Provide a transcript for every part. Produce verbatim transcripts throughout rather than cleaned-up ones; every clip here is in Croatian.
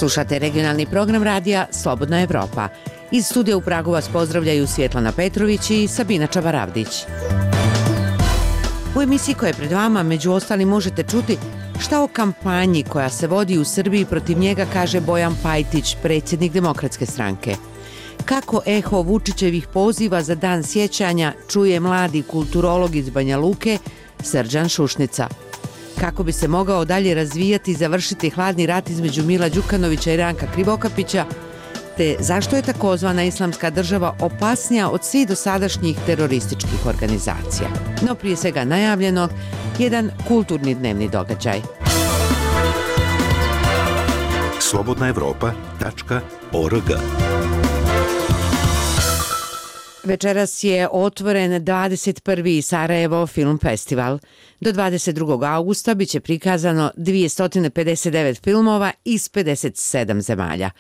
Slušate regionalni program radija Slobodna Evropa. Iz studija u Pragu vas pozdravljaju Svjetlana Petrović i Sabina Čabaravdić. U emisiji koja je pred vama, među ostalim, možete čuti šta o kampanji koja se vodi u Srbiji protiv njega kaže Bojan Pajtić, predsjednik Demokratske stranke. Kako eho Vučićevih poziva za dan sjećanja čuje mladi kulturolog iz Banja Luke Srđan Šušnica. Kako bi se mogao dalje razvijati i završiti hladni rat između Mila Đukanovića i Ranka Krivokapića, te zašto je takozvana Islamska država opasnija od svih dosadašnjih terorističkih organizacija. No prije svega najavljenog, jedan kulturni dnevni događaj. slobodna evropa tačka org. Večeras je otvoren dvadeset prvi Sarajevo film festival. Do dvadeset drugog augusta biće prikazano dvjesto pedeset devet filmova iz pedeset sedam zemalja.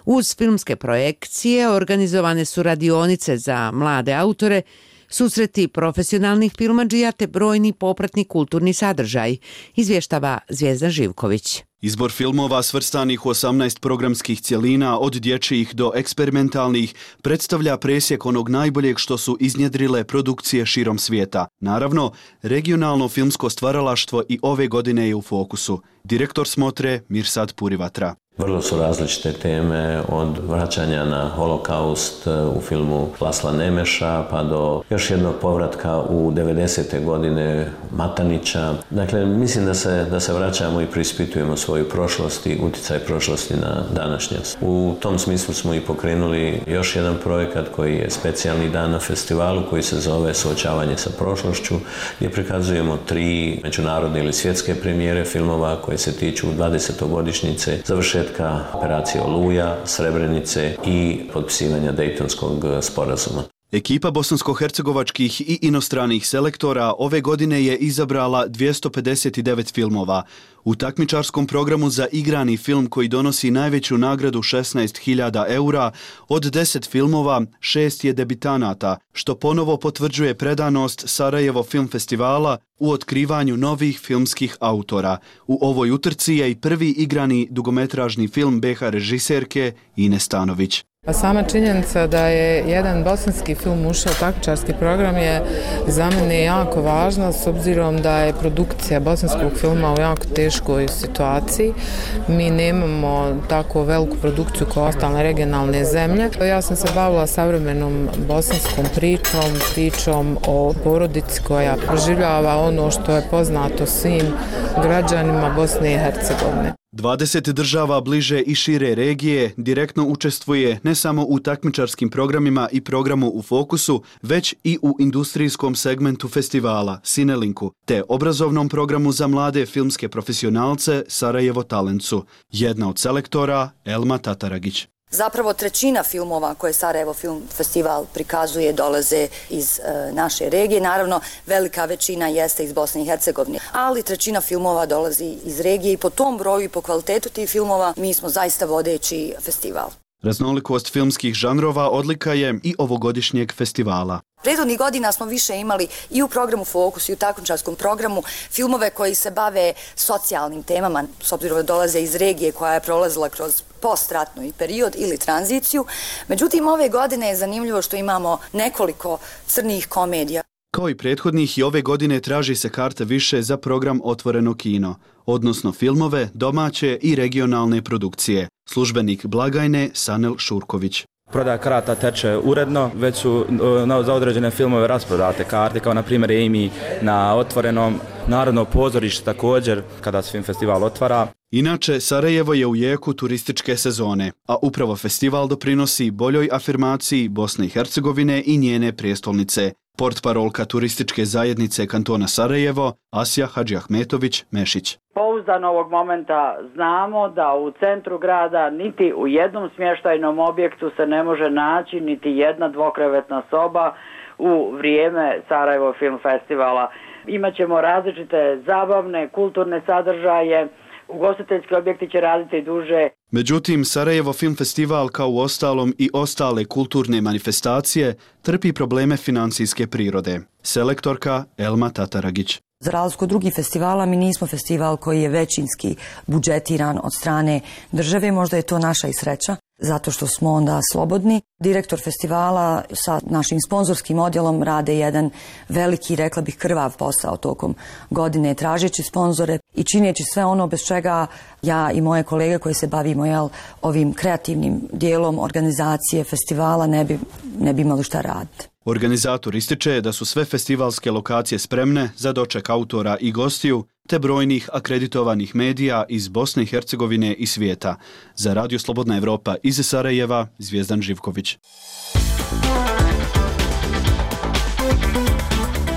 Uz filmske projekcije organizovane su radionice za mlade autore, susreti profesionalnih filmadžija te brojni popratni kulturni sadržaj, izvještava Zvijezda Živković. Izbor filmova svrstanih u osamnaest programskih cjelina, od dječjih do eksperimentalnih, predstavlja presjek onog najboljeg što su iznjedrile produkcije širom svijeta. Naravno, regionalno filmsko stvaralaštvo i ove godine je u fokusu. Direktor smotre Mirsad Purivatra. Vrlo su različite teme, od vraćanja na holokaust u filmu Lasla Nemeša pa do još jednog povratka u devedesete godine Matanića. Dakle, mislim da se, da se vraćamo i preispitujemo svoju prošlost i utjecaj prošlosti na današnjost. U tom smislu smo i pokrenuli još jedan projekat koji je specijalni dan na festivalu koji se zove Suočavanje sa prošlošću, gdje prikazujemo tri međunarodne ili svjetske premijere filmova koje se tiču dvadesetogodišnjice završetka operacije Oluja, Srebrenice i potpisivanja Dejtonskog sporazuma. Ekipa bosansko-hercegovačkih i inostranih selektora ove godine je izabrala dvjesto pedeset devet filmova. U takmičarskom programu za igrani film koji donosi najveću nagradu šesnaest hiljada eura, od deset filmova šest je debitanata, što ponovo potvrđuje predanost Sarajevo film festivala u otkrivanju novih filmskih autora. U ovoj utrci je i prvi igrani dugometražni film be ha režiserke Ine Stanović. Pa sama činjenica da je jedan bosanski film ušao u takmičarski program je za mene jako važna, s obzirom da je produkcija bosanskog filma u jako teškoj situaciji. Mi nemamo tako veliku produkciju kao ostale regionalne zemlje. Ja sam se bavila savremenom bosanskom pričom, pričom o porodici koja proživljava ono što je poznato svim građanima Bosne i Hercegovine. dvadeset država bliže i šire regije direktno učestvuje ne samo u takmičarskim programima i programu u fokusu, već i u industrijskom segmentu festivala Sinelinku, te obrazovnom programu za mlade filmske profesionalce Sarajevo Talentsu. Jedna od selektora Elma Tataragić. Zapravo trećina filmova koje Sarajevo Film Festival prikazuje dolaze iz e, naše regije. Naravno, velika većina jeste iz Bosne i Hercegovine, ali trećina filmova dolazi iz regije i po tom broju i po kvalitetu tih filmova mi smo zaista vodeći festival. Raznolikost filmskih žanrova odlika je i ovogodišnjeg festivala. Prethodnih godina smo više imali i u programu Fokus i u takmičarskom programu filmove koji se bave socijalnim temama, s obzirom da dolaze iz regije koja je prolazila kroz postratnu period ili tranziciju. Međutim, ove godine je zanimljivo što imamo nekoliko crnih komedija. Kao i prethodnih, i ove godine traži se karta više za program Otvoreno kino, odnosno filmove, domaće i regionalne produkcije. Službenik blagajne Sanel Šurković. Prodaja karata teče uredno, već su no, za određene filmove rasprodate karte, kao na primjer Amy na Otvorenom, Narodno pozorište također, kada se film festival otvara. Inače, Sarajevo je u jeku turističke sezone, a upravo festival doprinosi boljoj afirmaciji Bosne i Hercegovine i njene prijestolnice. Portparolka turističke zajednice kantona Sarajevo, Asja Hadžiahmetović-Mešić. Pouzdano ovog momenta znamo da u centru grada niti u jednom smještajnom objektu se ne može naći niti jedna dvokrevetna soba u vrijeme Sarajevo Film Festivala. Imaćemo različite zabavne, kulturne sadržaje, ugostiteljski objekti će raditi duže. Međutim, Sarajevo Film Festival, kao u ostalom i ostale kulturne manifestacije, trpi probleme financijske prirode. Selektorka Elma Tataragić. Za razliku od drugih festivala, mi nismo festival koji je većinski budžetiran od strane države, možda je to naša i sreća, zato što smo onda slobodni. Direktor festivala sa našim sponzorskim odjelom rade jedan veliki, rekla bih, krvav posao tokom godine, tražeći sponzore i čineći sve ono bez čega ja i moje kolege koji se bavimo jel, ovim kreativnim dijelom organizacije festivala ne bi, ne bi imali šta raditi. Organizator ističe da su sve festivalske lokacije spremne za doček autora i gostiju, te brojnih akreditovanih medija iz Bosne i Hercegovine i svijeta. Za Radio Slobodna Evropa iz Sarajeva, Zvijezdan Živković.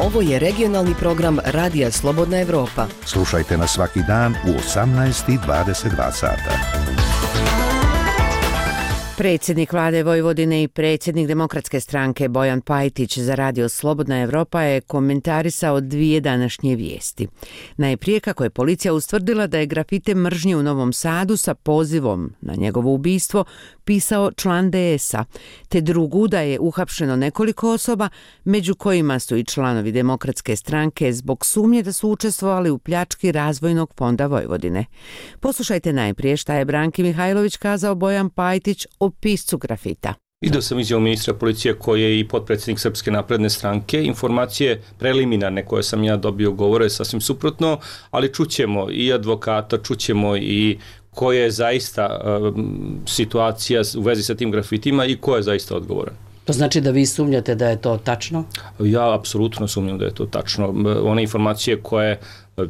Ovo je regionalni program Radija Slobodna Evropa. Slušajte nas svaki dan u osamnaest i dvadeset dva sata. Predsjednik vlade Vojvodine i predsjednik Demokratske stranke Bojan Pajtić za Radio Slobodna Evropa je komentarisao dvije današnje vijesti. Najprije kako je policija ustvrdila da je grafite mržnje u Novom Sadu sa pozivom na njegovo ubistvo pisao član de es a, te drugu da je uhapšeno nekoliko osoba, među kojima su i članovi Demokratske stranke zbog sumnje da su učestvovali u pljački Razvojnog fonda Vojvodine. Poslušajte najprije šta je Branki Mihajlović kazao Bojan Pajtić o piscu grafita. Video sam izjavu ministra policije koji je i potpredsjednik Srpske napredne stranke. Informacije preliminarne koje sam ja dobio govore sasvim suprotno, ali čućemo i advokata, čućemo i koja je zaista um, situacija u vezi sa tim grafitima i ko je zaista odgovoran. To znači da vi sumnjate da je to tačno? Ja apsolutno sumnjam da je to tačno. One informacije koje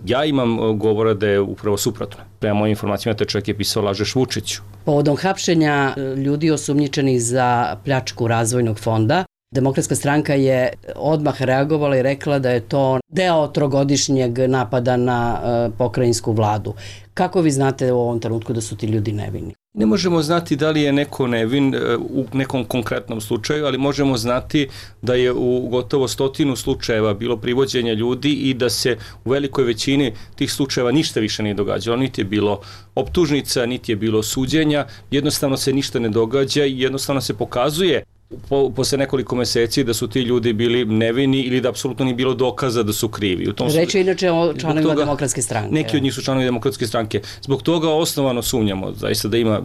ja imam govore da je upravo suprotno. Prema mojim informacijama te čovjek je pisao lažeš Vučiću. Povodom hapšenja ljudi osumnjičenih za pljačku Razvojnog fonda, Demokratska stranka je odmah reagovala i rekla da je to deo trogodišnjeg napada na uh, pokrajinsku vladu. Kako vi znate u ovom trenutku da su ti ljudi nevini? Ne možemo znati da li je neko nevin u nekom konkretnom slučaju, ali možemo znati da je u gotovo stotinu slučajeva bilo privođenja ljudi i da se u velikoj većini tih slučajeva ništa više nije događalo. Niti je bilo optužnica, niti je bilo suđenja, jednostavno se ništa ne događa i jednostavno se pokazuje Po, posle nekoliko meseci da su ti ljudi bili nevini ili da apsolutno nije bilo dokaza da su krivi. U tom Reč je inače o članovima Demokratske stranke. Neki od njih su članovi Demokratske stranke. Zbog toga osnovano sumnjamo zaista da ima,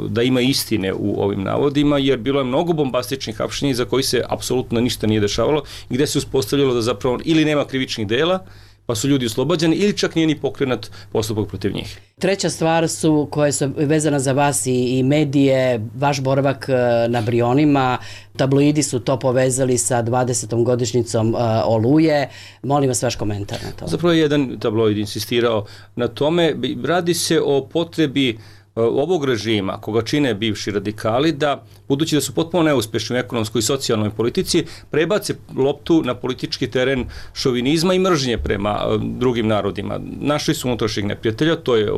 da ima istine u ovim navodima, jer bilo je mnogo bombastičnih hapšenja za koji se apsolutno ništa nije dešavalo i gde se uspostavljalo da zapravo ili nema krivičnih dela, pa su ljudi oslobađani ili čak nije ni pokrenut postupak protiv njih. Treća stvar su koje su vezana za vas i, i medije, vaš boravak na Brionima, tabloidi su to povezali sa dvadesetom godišnjicom uh, Oluje. Molim vas vaš komentar na to. Zapravo je jedan tabloid insistirao na tome. Radi se o potrebi ovog režima, koga čine bivši radikali, da, budući da su potpuno neuspešni u ekonomskoj i socijalnoj politici, prebace loptu na politički teren šovinizma i mržnje prema drugim narodima. Našli su unutrašnjeg neprijatelja, to je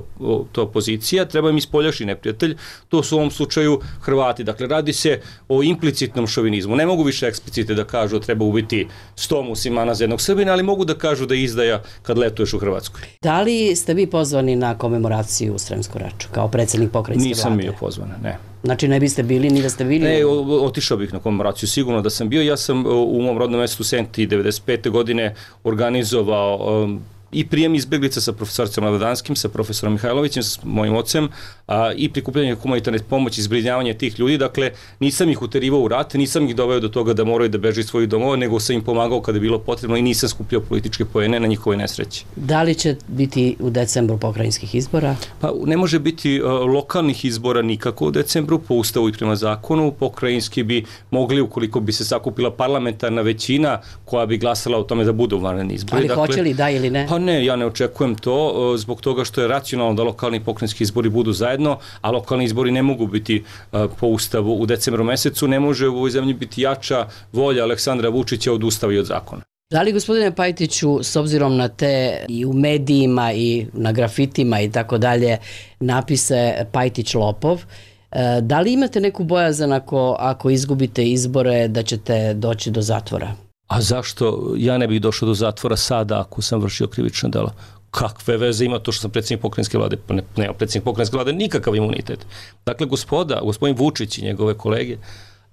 to opozicija, treba im ispoljašnji neprijatelj, to su u ovom slučaju Hrvati. Dakle, radi se o implicitnom šovinizmu. Ne mogu više eksplicite da kažu da treba ubiti sto muslimana za jednog Srbina, ali mogu da kažu da je izdaja kad letuješ u Hrvatskoj. Da li ste vi pozvani na komemoraciju u Sremsku Raču kao predsjednik pokrajinske vlade? Nisam bio pozvan, ne. Znači ne biste bili, ni da ste bili? Ne, otišao bih na komemoraciju, sigurno da sam bio. Ja sam u mom rodnom mjestu Senti devedeset pete godine organizovao um, i prijem izbjeglica sa profesorcem Lavadanskim, sa profesorom Mihajlovićem, s mojim ocem, a, i prikupljanje humanitarne pomoći, zbrinjavanje tih ljudi. Dakle, nisam ih uterivao u rat, nisam ih doveo do toga da moraju da beže iz svojih domova, nego sam im pomagao kada je bilo potrebno i nisam skupljao političke poene na njihove nesreći. Da li će biti u decembru pokrajinskih izbora? Pa ne može biti uh, lokalnih izbora nikako u decembru, po ustavu i prema zakonu. Pokrajinski bi mogli, ukoliko bi se sakupila parlamentarna većina koja bi glasala o tome da budu vanredni izbori. Ali dakle, hoće li da ili ne? Pa ne, ja ne očekujem to zbog toga što je racionalno da lokalni i pokrajinski izbori budu zajedno, a lokalni izbori ne mogu biti uh, po ustavu u decembru mesecu. Ne može u ovoj zemlji biti jača volja Aleksandra Vučića od ustava i od zakona. Da li, gospodine Pajtiću, s obzirom na te i u medijima i na grafitima i tako dalje napise Pajtić lopov, da li imate neku bojazan ako, ako izgubite izbore da ćete doći do zatvora? A zašto ja ne bih došao do zatvora sada ako sam vršio krivično delo? Kakve veze ima to što sam predsjednik pokrajinske vlade? Pa ne, nema predsjednik pokrajinske vlade nikakav imunitet. Dakle, gospoda, gospodin Vučić i njegove kolege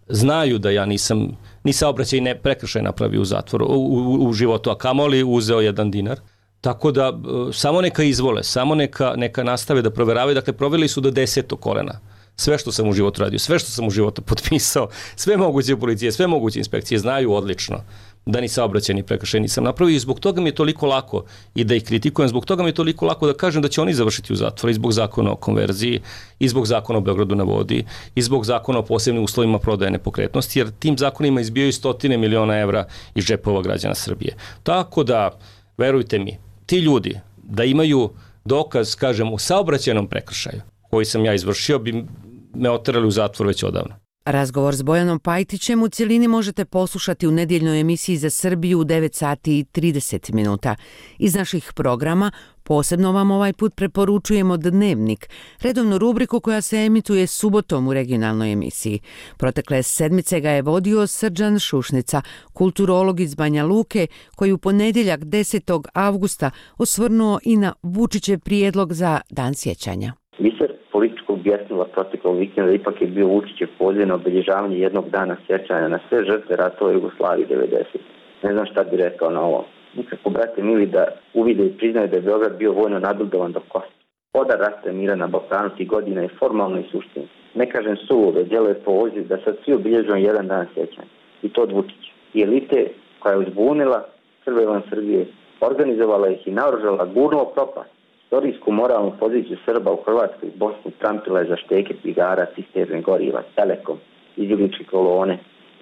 znaju da ja nisam ni saobraćaj ne prekršaj napravio u zatvoru, u, u, u životu, a kamoli uzeo jedan dinar. Tako da samo neka izvole, samo neka, neka nastave da proveravaju. Dakle, proveli su do desetog kolena. Sve što sam u životu radio, sve što sam u životu potpisao, sve moguće policije, sve moguće inspekcije znaju odlično da ni saobraćajni prekršaj nisam napravio i zbog toga mi je toliko lako i da ih kritikujem, zbog toga mi je toliko lako da kažem da će oni završiti u zatvoru i zbog zakona o konverziji, i zbog zakona o Beogradu na vodi, i zbog zakona o posebnim uslovima prodaje nepokretnosti, jer tim zakonima izbijaju stotine miliona evra iz džepova građana Srbije. Tako da, verujte mi, ti ljudi da imaju dokaz, kažem, u saobraćajnom prekršaju koji sam ja izvršio, bi me oterali u zatvor već odavno. Razgovor s Bojanom Pajtićem u cjelini možete poslušati u nedjeljnoj emisiji za Srbiju u devet sati i trideset minuta. Iz naših programa posebno vam ovaj put preporučujemo Dnevnik, redovnu rubriku koja se emituje subotom u regionalnoj emisiji. Protekle sedmice ga je vodio Srđan Šušnica, kulturolog iz Banja Luke, koji u ponedjeljak desetog avgusta osvrnuo i na Vučićev prijedlog za Dan sjećanja. Biser političkog bjesnila proteklog vikenda ipak je bio Vučićev poziv na obilježavanje jednog dana sjećanja na sve žrtve ratova Jugoslavije devedeset. Ne znam šta bi rekao na ovo. Nikako, brate mili, da uvide i priznaju da je Beograd bio vojno nabildovan do kosti. Odar rasta mira na Balkanu tih godina je formalno i suštinski. Ne kažem suvo, već djeluje poziv da sad svi obilježujemo jedan dan sjećanja. I to od Vučića. I elite koja je uzbunila Srbe van Srbije, organizovala ih i naoružala, gurnula propast. Istorijsku moralnu poziciju Srba u Hrvatskoj i Bosni trampila je za šteke, cigara, cisterne goriva, Telekom, izbjegličke kolone,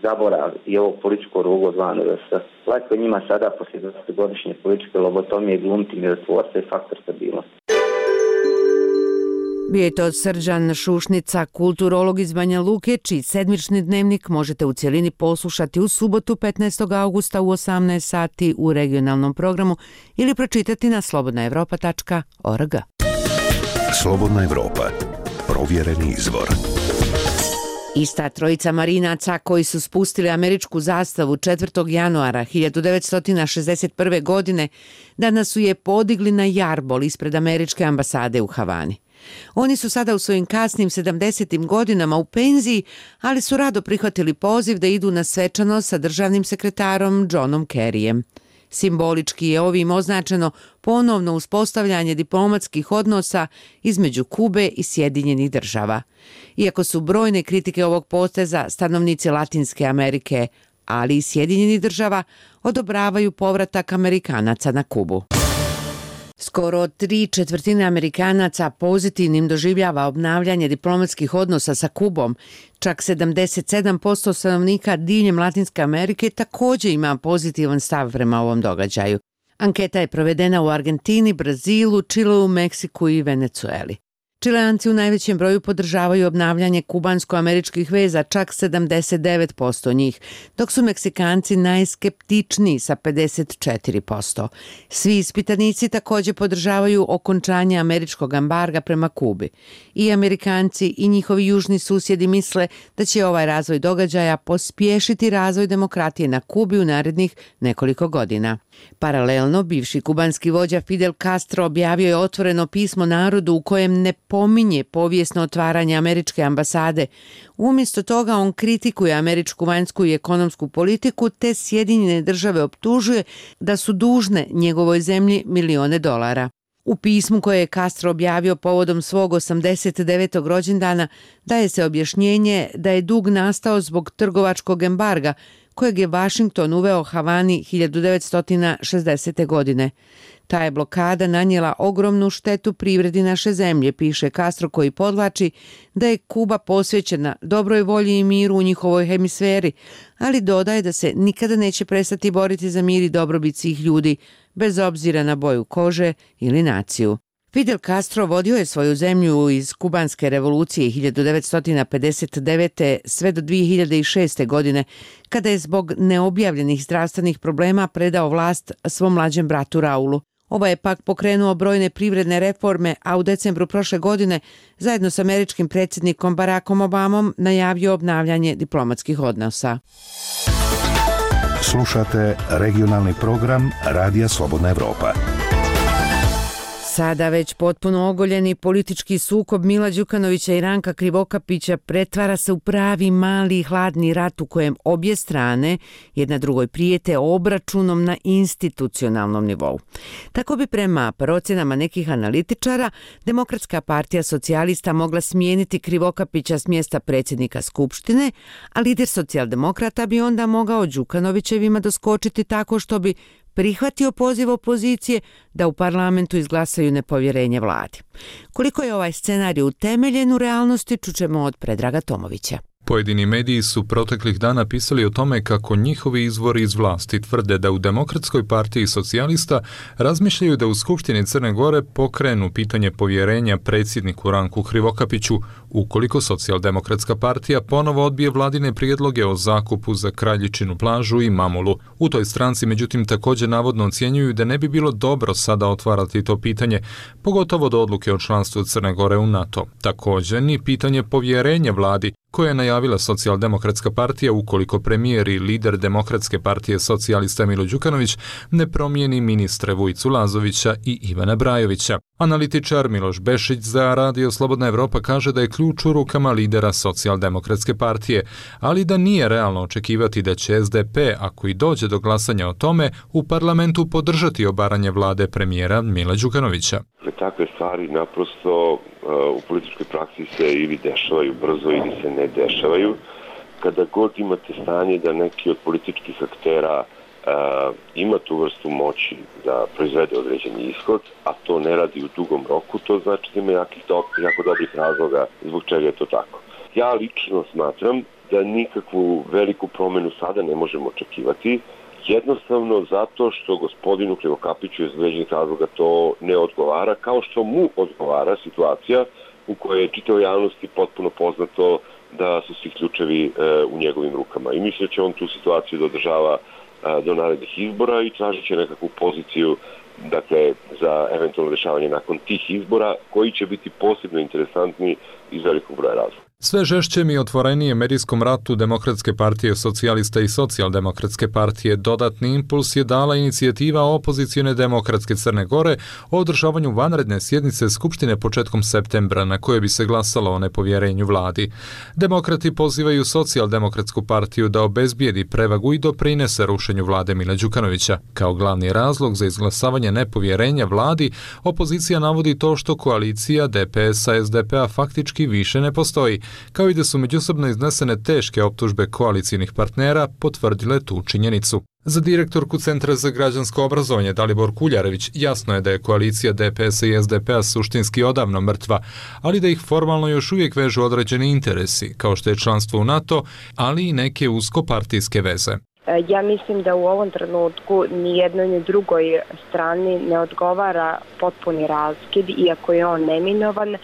zaborav i ovog političko rugo zvano R S. Lako je njima sada poslije dvadesetogodišnje političke lobotomije glumiti mirotvorca i faktor stabilnosti. Bio je to Srđan Šušnica, kulturolog iz Banja Luke, čiji sedmični dnevnik možete u cjelini poslušati u subotu petnaestog avgusta u osamnaest sati u regionalnom programu ili pročitati na slobodna evropa tačka org. Slobodna Evropa. Provjereni izvor. Ista trojica marinaca koji su spustili američku zastavu četvrtog januara hiljadu devetsto šezdeset prve. godine danas su je podigli na jarbol ispred američke ambasade u Havani. Oni su sada u svojim kasnim sedamdesetim godinama u penziji, ali su rado prihvatili poziv da idu na svečanost sa državnim sekretarom Johnom Kerryjem. Simbolički je ovim označeno ponovno uspostavljanje diplomatskih odnosa između Kube i Sjedinjenih država. Iako su brojne kritike ovog poteza, stanovnici Latinske Amerike, ali i Sjedinjenih država, odobravaju povratak Amerikanaca na Kubu. Skoro tri četvrtine Amerikanaca pozitivnim doživljava obnavljanje diplomatskih odnosa sa Kubom. Čak sedamdeset sedam posto stanovnika diljem Latinske Amerike također ima pozitivan stav prema ovom događaju. Anketa je provedena u Argentini, Brazilu, Čileu, Meksiku i Venecueli. Čileanci u najvećem broju podržavaju obnavljanje kubansko-američkih veza, čak sedamdeset devet posto njih, dok su Meksikanci najskeptičniji sa pedeset četiri posto. Svi ispitanici također podržavaju okončanje američkog embarga prema Kubi. I Amerikanci i njihovi južni susjedi misle da će ovaj razvoj događaja pospješiti razvoj demokratije na Kubi u narednih nekoliko godina. Paralelno, bivši kubanski vođa Fidel Castro objavio je otvoreno pismo narodu u kojem ne pominje povijesno otvaranje američke ambasade. Umjesto toga on kritikuje američku vanjsku i ekonomsku politiku te Sjedinjene države optužuje da su dužne njegovoj zemlji milione dolara. U pismu koje je Castro objavio povodom svog osamdeset devetog rođendana daje se objašnjenje da je dug nastao zbog trgovačkog embarga kojeg je Washington uveo Havani hiljadu devetsto šezdesete. godine. Ta je blokada nanijela ogromnu štetu privredi naše zemlje, piše Castro, koji podvlači da je Kuba posvećena dobroj volji i miru u njihovoj hemisferi, ali dodaje da se nikada neće prestati boriti za mir i dobrobit svih ljudi, bez obzira na boju kože ili naciju. Fidel Castro vodio je svoju zemlju iz kubanske revolucije hiljadu devetsto pedeset devete. sve do dvije hiljade šeste. godine, kada je zbog neobjavljenih zdravstvenih problema predao vlast svom mlađem bratu Raulu. Ovaj je pak pokrenuo brojne privredne reforme, a u decembru prošle godine zajedno s američkim predsjednikom Barackom Obamom najavio obnavljanje diplomatskih odnosa. Slušate regionalni program Radija Slobodna Evropa. Sada već potpuno ogoljeni politički sukob Mila Đukanovića i Ranka Krivokapića pretvara se u pravi mali i hladni rat u kojem obje strane jedna drugoj prijete obračunom na institucionalnom nivou. Tako bi prema procjenama nekih analitičara Demokratska partija socijalista mogla smijeniti Krivokapića s mjesta predsjednika Skupštine, a lider socijaldemokrata bi onda mogao Đukanovićevima doskočiti tako što bi prihvatio poziv opozicije da u parlamentu izglasaju nepovjerenje vladi. Koliko je ovaj scenarij utemeljen u realnosti, čućemo od Predraga Tomovića. Pojedini mediji su proteklih dana pisali o tome kako njihovi izvori iz vlasti tvrde da u Demokratskoj partiji socijalista razmišljaju da u Skupštini Crne Gore pokrenu pitanje povjerenja predsjedniku Ranku Krivokapiću ukoliko Socijaldemokratska partija ponovo odbije vladine prijedloge o zakupu za Kraljičinu plažu i Mamulu. U toj stranci međutim također navodno ocjenjuju da ne bi bilo dobro sada otvarati to pitanje, pogotovo do odluke o članstvu Crne Gore u NATO. Također ni pitanje povjerenja vladi koje je najavila Socijaldemokratska partija ukoliko premijer i lider Demokratske partije socijalista Milo Đukanović ne promijeni ministre Vujicu Lazovića i Ivana Brajovića. Analitičar Miloš Bešić za Radio Slobodna Evropa kaže da je ključ u rukama lidera Socijaldemokratske partije, ali da nije realno očekivati da će S D P, ako i dođe do glasanja o tome, u parlamentu podržati obaranje vlade premijera Mila Đukanovića. Takve stvari naprosto u političkoj praksi se ili dešavaju brzo ili se ne dešavaju. Kada god imate stanje da neki od političkih aktera uh, ima tu vrstu moći da proizvede određeni ishod, a to ne radi u dugom roku, to znači da ima jakih do, jako dobrih razloga zbog čega je to tako. Ja lično smatram da nikakvu veliku promjenu sada ne možemo očekivati, jednostavno zato što gospodinu Krivokapiću iz određenih razloga to ne odgovara, kao što mu odgovara situacija u kojoj je čitavoj javnosti potpuno poznato da su svi ključevi e, u njegovim rukama. I mislim da će on tu situaciju da održava e, do narednih izbora i tražit će nekakvu poziciju, dakle, za eventualno rješavanje nakon tih izbora, koji će biti posebno interesantni iz velikog broja razloga. Sve žešćem i otvorenije medijskom ratu Demokratske partije socijalista i Socijaldemokratske partije dodatni impuls je dala inicijativa opozicijone Demokratske Crne Gore o održavanju vanredne sjednice Skupštine početkom septembra na koje bi se glasalo o nepovjerenju vladi. Demokrati pozivaju Socijaldemokratsku partiju da obezbijedi prevagu i doprinese rušenju vlade Mila Đukanovića. Kao glavni razlog za izglasavanje nepovjerenja vladi, opozicija navodi to što koalicija D P S-a S D P-a faktički više ne postoji, kao i da su međusobno iznesene teške optužbe koalicijnih partnera potvrdile tu činjenicu. Za direktorku Centra za građansko obrazovanje Dalibor Kuljarević jasno je da je koalicija D P S-a i S D P-a suštinski odavno mrtva, ali da ih formalno još uvijek vežu određeni interesi, kao što je članstvo u NATO, ali i neke uskopartijske veze. Ja mislim da u ovom trenutku ni jednoj ni drugoj strani ne odgovara potpuni raskid, iako je on neminovan,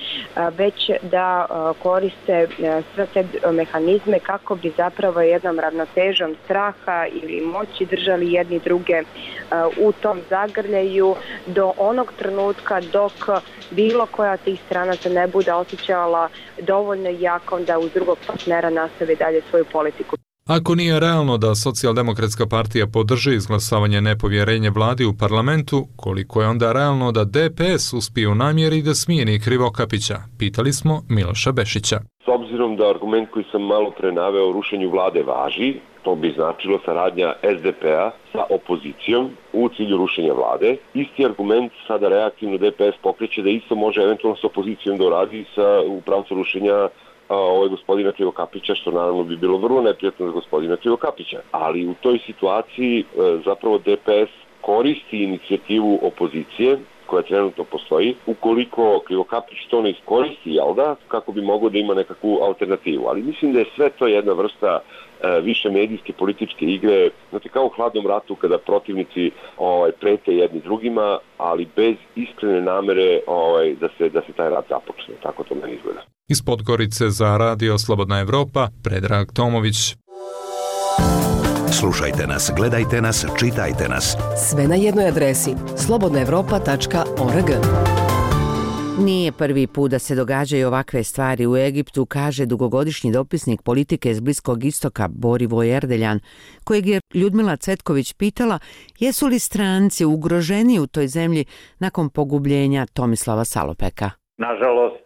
već da koriste sve te mehanizme kako bi zapravo jednom ravnotežom straha ili moći držali jedni druge u tom zagrljaju do onog trenutka dok bilo koja od tih strana se ne bude osjećala dovoljno jakom da uz drugog partnera nastavi dalje svoju politiku. Ako nije realno da Socijaldemokratska partija podrži izglasavanje nepovjerenja vladi u parlamentu, koliko je onda realno da D P S uspije u namjeri da smijeni Krivokapića? Pitali smo Miloša Bešića. S obzirom da argument koji sam malo pre naveo o rušenju vlade važi, to bi značilo saradnja S D P-a sa opozicijom u cilju rušenja vlade. Isti argument sada reaktivno D P S pokreće da isto može eventualno s opozicijom da uradi sa, u pravcu rušenja ovaj gospodina Krivokapića, što naravno bi bilo vrlo neprijatno za gospodina Krivokapića. Ali u toj situaciji zapravo D P S koristi inicijativu opozicije koja trenutno postoji, ukoliko Krivokapić to ne iskoristi, jel da, kako bi moglo da ima nekakvu alternativu. Ali mislim da je sve to jedna vrsta e, više medijske političke igre, znači kao u hladnom ratu kada protivnici ovaj, prete jedni drugima, ali bez iskrene namere ovaj, da se da se taj rat započne. Tako to meni izgleda. Iz Podgorice za Radio Slobodna Evropa, Predrag Tomović. Slušajte nas, gledajte nas, čitajte nas. Sve na jednoj adresi slobodna evropa tačka org. Nije prvi put da se događaju ovakve stvari u Egiptu, kaže dugogodišnji dopisnik politike iz Bliskog istoka Borivoj Erdeljan, kojeg je Ljudmila Cvetković pitala jesu li stranci ugroženi u toj zemlji nakon pogubljenja Tomislava Salopeka. Nažalost,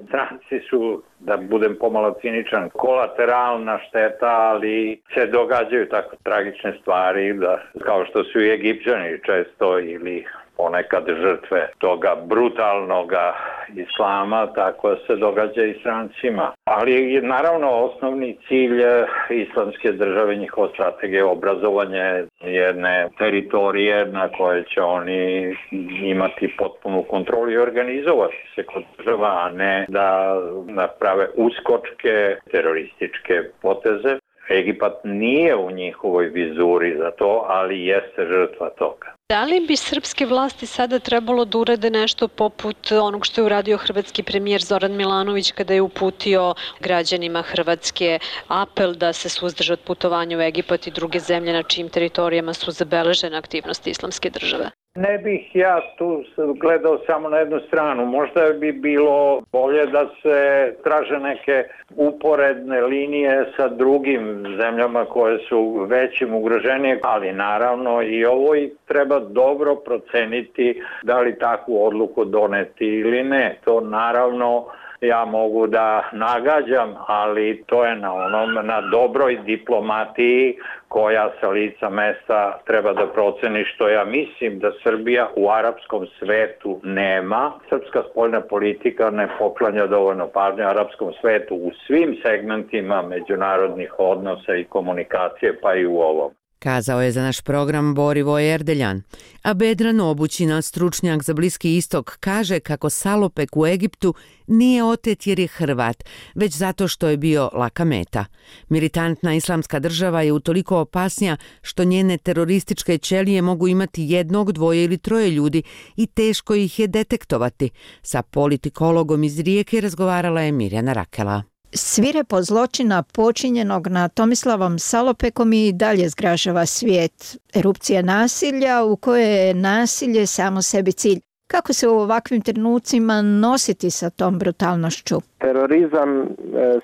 stranci su, da budem pomalo ciničan, kolateralna šteta, ali se događaju tako tragične stvari, da, kao što su i Egipćani često ili ponekad žrtve toga brutalnoga islama, tako se događa i strancima. Ali naravno osnovni cilj islamske države, njihova strategija je obrazovanje jedne teritorije na koje će oni imati potpunu kontrolu i organizovati se kod država, a ne da naprave uskočke terorističke poteze. Egipat nije u njihovoj vizuri za to, ali jeste žrtva toga. Da li bi srpske vlasti sada trebalo da urade nešto poput onog što je uradio hrvatski premijer Zoran Milanović kada je uputio građanima Hrvatske apel da se suzdrže od putovanja u Egipat i druge zemlje na čijim teritorijama su zabeležene aktivnosti islamske države? Ne bih ja tu gledao samo na jednu stranu. Možda bi bilo bolje da se traže neke uporedne linije sa drugim zemljama koje su većim ugroženije, ali naravno i ovo i treba dobro proceniti da li takvu odluku doneti ili ne. To naravno ja mogu da nagađam, ali to je na onom, na dobroj diplomatiji koja sa lica mesta treba da proceni, što ja mislim da Srbija u arapskom svetu nema. Srpska spoljna politika ne poklanja dovoljno pažnje arapskom svetu u svim segmentima međunarodnih odnosa i komunikacije, pa i u ovom. Kazao je za naš program Borivoj Erdeljan. A Bedran Obućina, stručnjak za Bliski istok, kaže kako Salopek u Egiptu nije otet jer je Hrvat, već zato što je bio laka meta. Militantna islamska država je utoliko opasnija što njene terorističke ćelije mogu imati jednog, dvoje ili troje ljudi i teško ih je detektovati. Sa politikologom iz Rijeke razgovarala je Mirjana Rakela. Svirepo zločina počinjenog na Tomislavom Salopekom i dalje zgražava svijet. Erupcija nasilja u kojoj je nasilje samo sebi cilj. Kako se u ovakvim trenucima nositi sa tom brutalnošću? Terorizam e,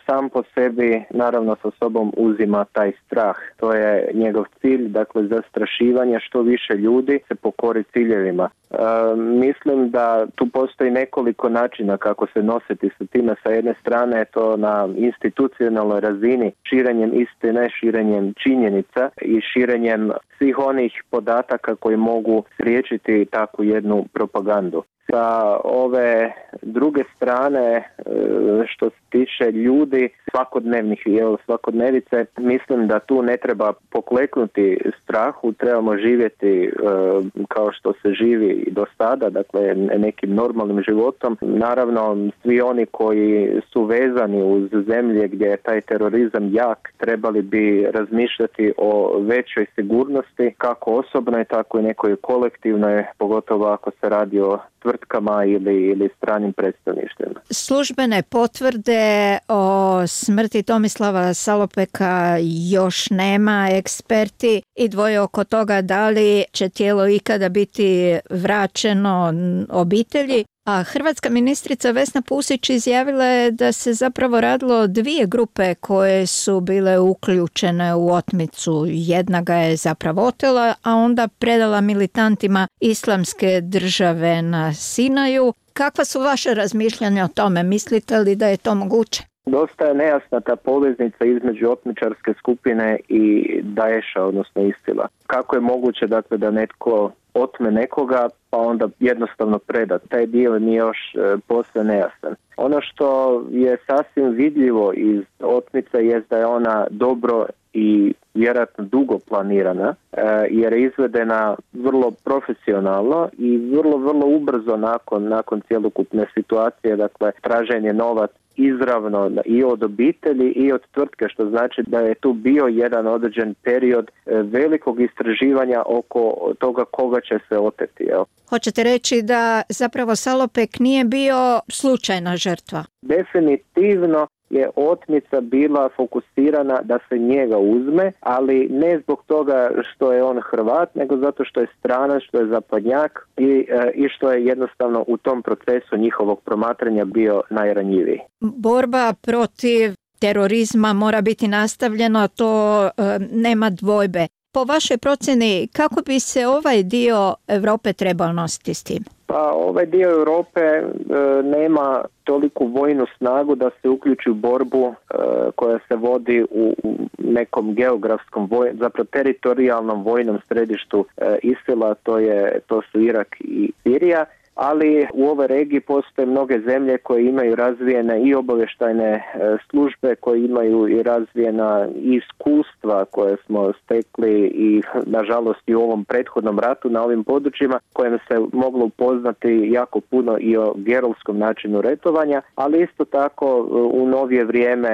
sam po sebi naravno sa sobom uzima taj strah. To je njegov cilj, dakle zastrašivanje što više ljudi se pokori ciljevima. E, mislim da tu postoji nekoliko načina kako se nositi sa time. Sa jedne strane je to na institucionalnoj razini, širenjem istine, širenjem činjenica i širenjem svih onih podataka koji mogu spriječiti takvu jednu propagandu. Sa ove druge strane, što se tiče ljudi, svakodnevnih jel, svakodnevice, mislim da tu ne treba pokleknuti strahu, trebamo živjeti kao što se živi i do sada, dakle nekim normalnim životom. Naravno, svi oni koji su vezani uz zemlje gdje je taj terorizam jak, trebali bi razmišljati o većoj sigurnosti, kako osobnoj, tako i nekoj kolektivnoj, pogotovo ako se radi o tvrtkama ili, ili stranim predstavništvima. Službene potvrde o smrti Tomislava Salopeka još nema. Eksperti i dvoje oko toga da li će tijelo ikada biti vraćeno obitelji. A hrvatska ministrica Vesna Pusić izjavila je da se zapravo radilo o dvije grupe koje su bile uključene u otmicu. Jedna ga je zapravo otela, a onda predala militantima islamske države na Sinaju. Kakva su vaše razmišljanja o tome? Mislite li da je to moguće? Dosta je nejasna ta poveznica između otmičarske skupine i Daesha, odnosno Isila. Kako je moguće dakle, da netko otme nekoga pa onda jednostavno preda? Taj dio mi je još e, posve nejasan. Ono što je sasvim vidljivo iz otmice je da je ona dobro i vjerojatno dugo planirana, e, jer je izvedena vrlo profesionalno i vrlo, vrlo ubrzo nakon, nakon cjelokupne situacije, dakle traženje novac izravno i od obitelji i od tvrtke, što znači da je tu bio jedan određen period velikog istraživanja oko toga koga će se oteti. Jel? Hoćete reći da zapravo Salopek nije bio slučajna žrtva? Definitivno je otmica bila fokusirana da se njega uzme, ali ne zbog toga što je on Hrvat, nego zato što je stranac, što je zapadnjak i, i što je jednostavno u tom procesu njihovog promatranja bio najranjiviji. Borba protiv terorizma mora biti nastavljeno, to e, nema dvojbe. Po vašoj procjeni, kako bi se ovaj dio Europe trebao nositi s tim? Pa ovaj dio Europe e, nema toliku vojnu snagu da se uključi u borbu e, koja se vodi u, u nekom geografskom, voj, zapravo teritorijalnom vojnom središtu e, Isila, to, je, to su Irak i Sirija. Ali u ovoj regiji postoje mnoge zemlje koje imaju razvijene i obavještajne službe, koje imaju i razvijena iskustva koje smo stekli i nažalost i u ovom prethodnom ratu na ovim područjima, kojem se moglo upoznati jako puno i o gerovskom načinu retovanja, ali isto tako u novije vrijeme,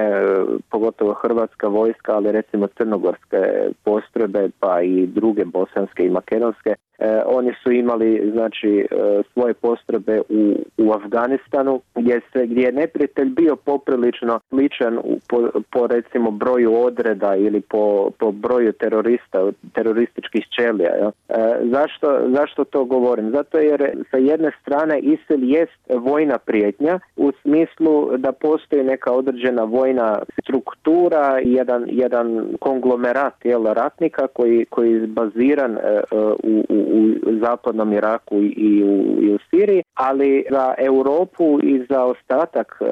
pogotovo hrvatska vojska, ali recimo crnogorske postrojbe pa i druge bosanske i makedonske, E, oni su imali znači e, svoje postrojbe u, u Afganistanu gdje se gdje je neprijatelj bio poprilično sličan u, po, po recimo broju odreda ili po, po broju terorista, terorističkih ćelija. Ja. E, zašto, zašto to govorim? Zato jer sa jedne strane ISIL jest vojna prijetnja u smislu da postoji neka određena vojna struktura, jedan, jedan konglomerat jel, ratnika koji, koji je baziran e, u, u u zapadnom Iraku i u, i u Siriji, ali za Europu i za ostatak e,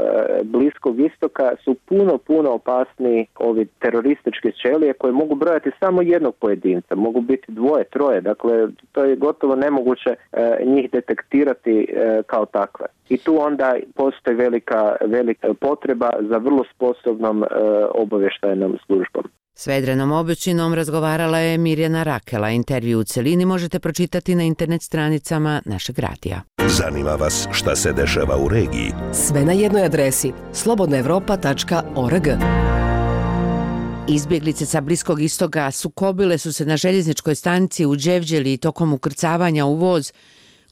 Bliskog istoka su puno, puno opasniji ovi terorističke ćelije koje mogu brojati samo jednog pojedinca, mogu biti dvoje, troje, dakle to je gotovo nemoguće e, njih detektirati e, kao takve. I tu onda postoji velika, velika potreba za vrlo sposobnom e, obavještajnom službom. S Vedrenom Obećinom razgovarala je Mirjana Rakela. Intervju u celini možete pročitati na internet stranicama našeg radija. Zanima vas šta se dešava u regiji? Sve na jednoj adresi slobodna evropa tačka org. Izbjeglice sa Bliskog istoka sukobile su se na željezničkoj stanici u Đevđeli tokom ukrcavanja u voz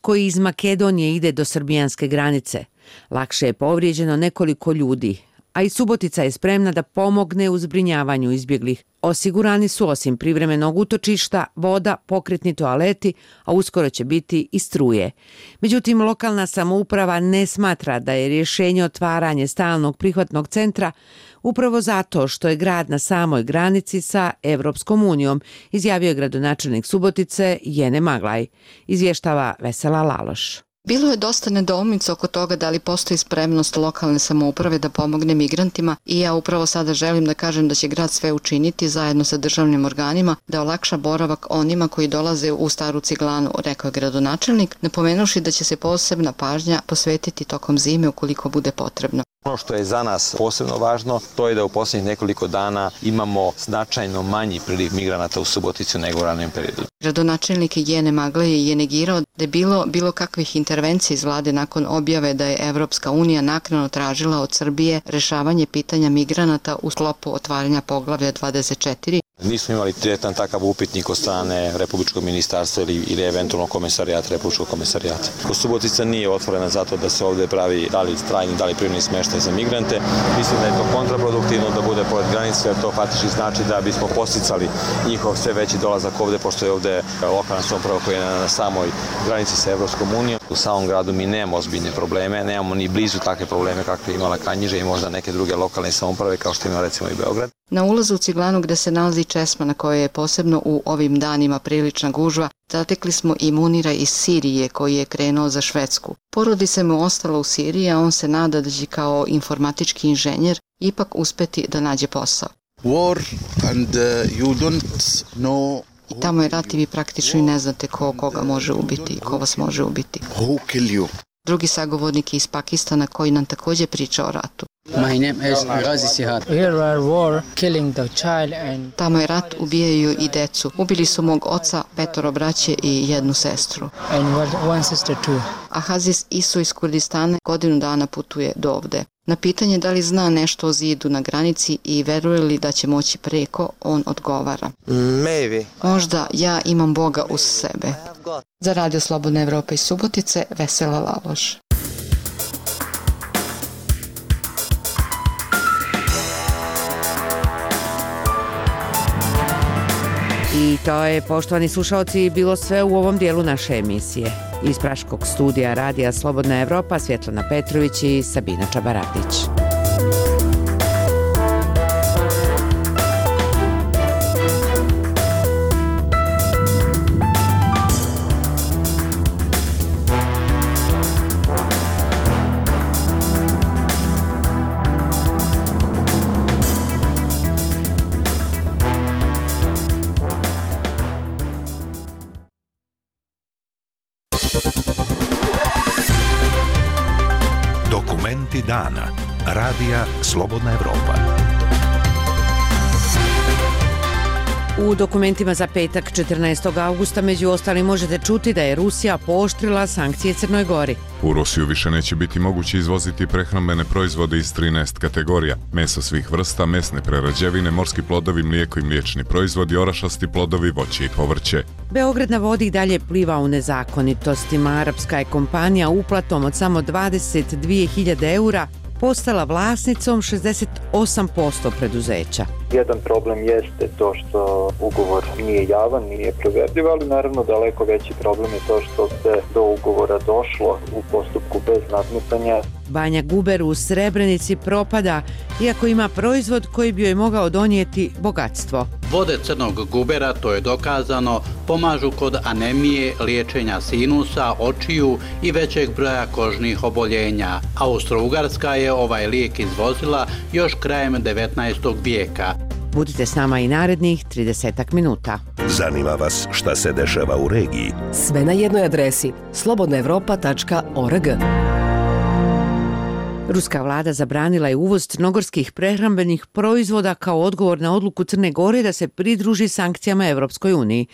koji iz Makedonije ide do srbijanske granice. Lakše je povrijeđeno nekoliko ljudi, a i Subotica je spremna da pomogne u zbrinjavanju izbjeglih. Osigurani su osim privremenog utočišta, voda, pokretni toaleti, a uskoro će biti i struje. Međutim, lokalna samouprava ne smatra da je rješenje otvaranje stalnog prihvatnog centra upravo zato što je grad na samoj granici sa Evropskom unijom, izjavio je gradonačelnik Subotice Jene Maglaj, izvještava Vesela Laloš. Bilo je dosta nedoumica oko toga da li postoji spremnost lokalne samouprave da pomogne migrantima i ja upravo sada želim da kažem da će grad sve učiniti zajedno sa državnim organima da olakša boravak onima koji dolaze u Staru Ciglanu, rekao je gradonačelnik, napomenuši da će se posebna pažnja posvetiti tokom zime ukoliko bude potrebno. Ono što je za nas posebno važno, to je da u posljednjih nekoliko dana imamo značajno manji priliv migranata u Suboticu nego u ranijem periodu. Gradonačelnik Jene Magleje je negirao da je bilo bilo kakvih intervencija iz vlade nakon objave da je Evropska unija naknadno tražila od Srbije rešavanje pitanja migranata u sklopu otvaranja poglavlja dvadeset četiri. Nismo imali direktan takav upitnik od strane Republičkog ministarstva ili, ili eventualno komesarijata, Republičkog komesarijata. Subotica nije otvorena zato da se ovdje pravi da li trajni, da li privremeni smještaj za migrante. Mislim da je to kontraproduktivno da bude pored granice, jer to faktički znači da bismo posticali njihov sve veći dolazak ovdje, pošto je ovdje lokalna samouprava koja je na samoj granici sa Evropskom unijom. U samom gradu mi nemamo ozbiljne probleme, nemamo ni blizu takve probleme kakve imala Kanjiža i možda neke druge lokalne samouprave kao što ima recimo i Beograd. Na ulazu u Ciglanu gde se nalazi česma na kojoj je posebno u ovim danima prilična gužva, zatekli smo i Munira iz Sirije koji je krenuo za Švedsku. Porodica mu ostala u Siriji, a on se nada da će kao informatički inženjer ipak uspeti da nađe posao. War and uh, you don't know. I tamo je rat i vi praktično i ne znate ko koga može ubiti, ko vas može ubiti. Who kill you? Drugi sagovornik je iz Pakistana koji nam također priča o ratu. My name is Ghazi Sihad. Here are war killing the child and Tamo je rat, ubijaju i decu. Ubili su mog oca, petoro braće i jednu sestru. And one sister too. A Haziz Isu iz Kurdistana godinu dana putuje do ovde. Na pitanje da li zna nešto o zidu na granici i veruje li da će moći preko, on odgovara. Maybe. Možda ja imam Boga uz sebe. Za Radio Slobodna Evropa iz Subotice, Vesela Laloš. I to je, poštovani slušalci, bilo sve u ovom dijelu naše emisije. Iz Praškog studija Radija Slobodna Evropa, Svjetlana Petrović i Sabina Čabaradić. Dokumenti dana. Radija Slobodna Evropa. U dokumentima za petak četrnaestog augusta među ostalim možete čuti da je Rusija pooštrila sankcije Crnoj Gori. U Rusiju više neće biti moguće izvoziti prehrambene proizvode iz trinaest kategorija. Meso svih vrsta, mesne prerađevine, morski plodovi, mlijeko i mliječni proizvodi, orašasti plodovi, voće i povrće. Beograd na vodi i dalje pliva u nezakonitostima. Arapska je kompanija uplatom od samo dvadeset dvije hiljade eura postala vlasnicom šezdeset osam posto preduzeća. Jedan problem jeste to što ugovor nije javan, nije proverljiv, ali naravno daleko veći problem je to što se do ugovora došlo u postupku bez nadmetanja. Banja Guber u Srebrenici propada, iako ima proizvod koji bi joj mogao donijeti bogatstvo. Vode crnog gubera, to je dokazano, pomažu kod anemije, liječenja sinusa, očiju i većeg broja kožnih oboljenja. Austro-Ugarska je ovaj lijek izvozila još krajem devetnaestog vijeka. Budite s nama i narednih trideset minuta. Zanima vas šta se dešava u regiji? Sve na jednoj adresi slobodna evropa tačka org. Ruska vlada zabranila je uvoz crnogorskih prehrambenih proizvoda kao odgovor na odluku Crne Gore da se pridruži sankcijama Evropskoj uniji.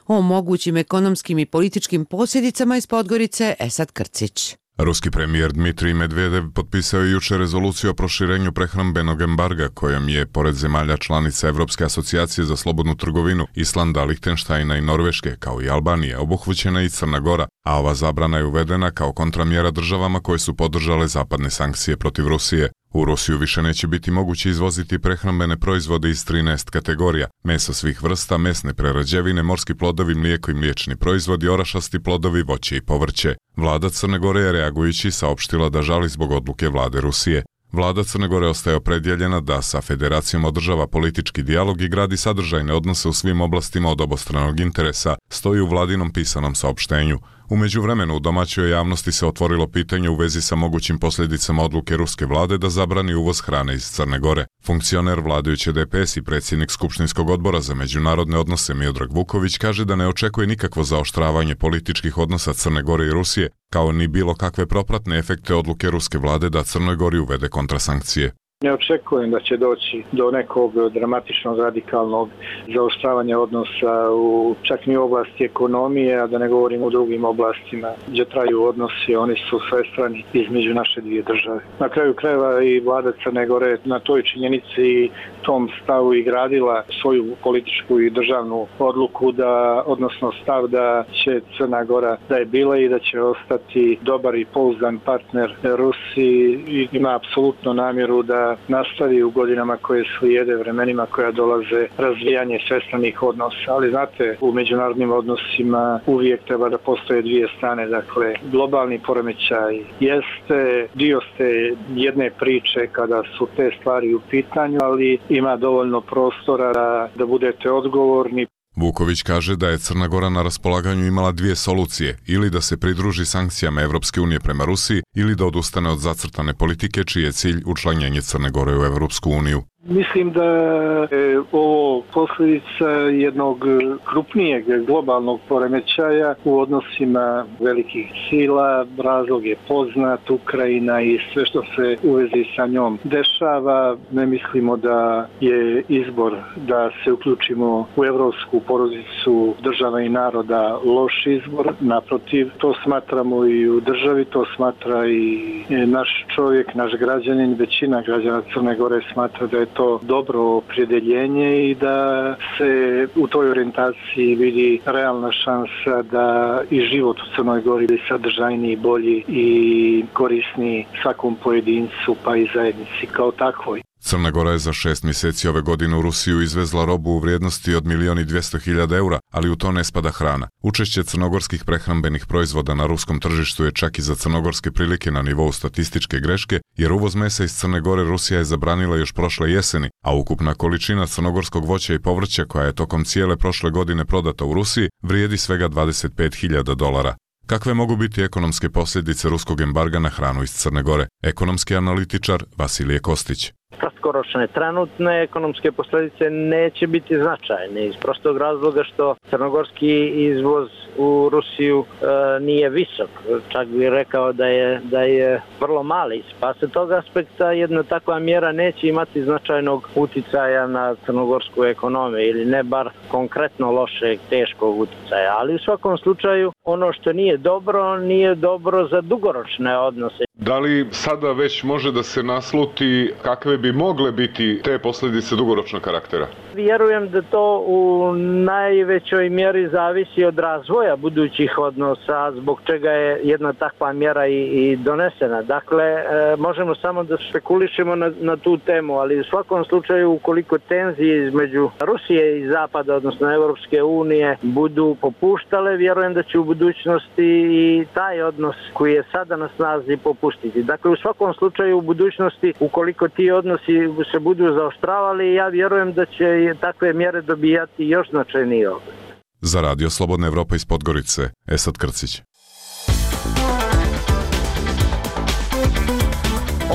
O mogućim ekonomskim i političkim posljedicama iz Podgorice Esad Krcić. Ruski premijer Dmitrij Medvedev potpisao je jučer rezoluciju o proširenju prehrambenog embarga kojom je, pored zemalja članica Evropske asocijacije za slobodnu trgovinu, Islanda, Lihtenštajna i Norveške, kao i Albanije, obuhvaćena i Crna Gora, a ova zabrana je uvedena kao kontramjera državama koje su podržale zapadne sankcije protiv Rusije. U Rusiju više neće biti moguće izvoziti prehrambene proizvode iz trinaest kategorija, meso svih vrsta, mesne prerađevine, morski plodovi, mlijeko i mliječni proizvodi, orašasti plodovi, voće i povrće. Vlada Crne Gore je reagujući saopštila da žali zbog odluke vlade Rusije. Vlada Crne Gore ostaje opredjeljena da sa federacijom održava politički dijalog i gradi sadržajne odnose u svim oblastima od obostranog interesa, stoji u vladinom pisanom saopštenju. U međuvremenu u domaćoj javnosti se otvorilo pitanje u vezi sa mogućim posljedicama odluke ruske vlade da zabrani uvoz hrane iz Crne Gore. Funkcioner vladajuće D P S i predsjednik Skupštinskog odbora za međunarodne odnose Miodrag Vuković kaže da ne očekuje nikakvo zaoštravanje političkih odnosa Crne Gore i Rusije, kao ni bilo kakve propratne efekte odluke ruske vlade da Crnoj Gori uvede kontrasankcije. Ne očekujem da će doći do nekog dramatičnog radikalnog zaoštravanja odnosa u čak ni u oblasti ekonomije, a da ne govorim u drugim oblastima gdje traju odnosi, oni su svestrani između naše dvije države. Na kraju krajeva i vlada Crne Gore na toj činjenici i tom stavu i gradila svoju političku i državnu odluku da, odnosno stav da će Crna Gora da je bila i da će ostati dobar i pouzdan partner Rusiji i ima apsolutno namjeru da nastavi u godinama koje slijede, vremenima koja dolaze, razvijanje svestranih odnosa. Ali znate, u međunarodnim odnosima uvijek treba da postoje dvije strane. Dakle, globalni poremećaj jeste dio ste jedne priče kada su te stvari u pitanju, ali ima dovoljno prostora da, da budete odgovorni. Vuković kaže da je Crna Gora na raspolaganju imala dvije solucije, ili da se pridruži sankcijama Evropske unije prema Rusiji, ili da odustane od zacrtane politike čiji je cilj učlanjenje Crne Gore u Evropsku uniju. Mislim da je ovo posljedica jednog krupnijeg globalnog poremećaja u odnosima velikih sila. Razlog je poznat, Ukrajina i sve što se u vezi sa njom dešava. Ne mislimo da je izbor da se uključimo u evropsku porodicu država i naroda loš izbor. Naprotiv, to smatramo i u državi, to smatra i naš čovjek, naš građanin, većina građana Crne Gore smatra da je to dobro opredjeljenje i da se u toj orijentaciji vidi realna šansa da i život u Crnoj Gori bude sadržajniji, bolji i korisniji svakom pojedincu pa i zajednici kao takvoj. Crna Gora je za šest mjeseci ove godine u Rusiju izvezla robu u vrijednosti od milijon i dvjesto hiljada eura, ali u to ne spada hrana. Učešće crnogorskih prehrambenih proizvoda na ruskom tržištu je čak i za crnogorske prilike na nivou statističke greške, jer uvoz mesa iz Crne Gore Rusija je zabranila još prošle jeseni, a ukupna količina crnogorskog voća i povrća koja je tokom cijele prošle godine prodata u Rusiji vrijedi svega dvadeset pet hiljada dolara. Kakve mogu biti ekonomske posljedice ruskog embarga na hranu iz Crne Gore? Ekonomski analitičar Vasilije Kostić. Kratkoročne, trenutne ekonomske posljedice neće biti značajne iz prostog razloga što crnogorski izvoz u Rusiju e, nije visok. Čak bih rekao da je, da je vrlo mali. Pa se tog aspekta jedna takva mjera neće imati značajnog uticaja na crnogorsku ekonomiju ili ne bar konkretno lošeg, teškog uticaja. Ali u svakom slučaju ono što nije dobro, nije dobro za dugoročne odnose. Da li sada već može da se nasluti kakve bi mogle biti te posljedice dugoročnog karaktera? Vjerujem da to u najvećoj mjeri zavisi od razvoja budućih odnosa, zbog čega je jedna takva mjera i, i donesena. Dakle, e, možemo samo da spekulišemo na, na tu temu, ali u svakom slučaju ukoliko tenzije između Rusije i Zapada, odnosno Europske unije, budu popuštale, vjerujem da će u budućnosti i taj odnos koji je sada na snazi popustiti. Dakle, u svakom slučaju u budućnosti, ukoliko ti odnosi se budu zaoštravali, ja vjerujem da će takve mjere dobijati još značajnije oblik. Za Radio Slobodna Evropa iz Podgorice, Esad Krcić.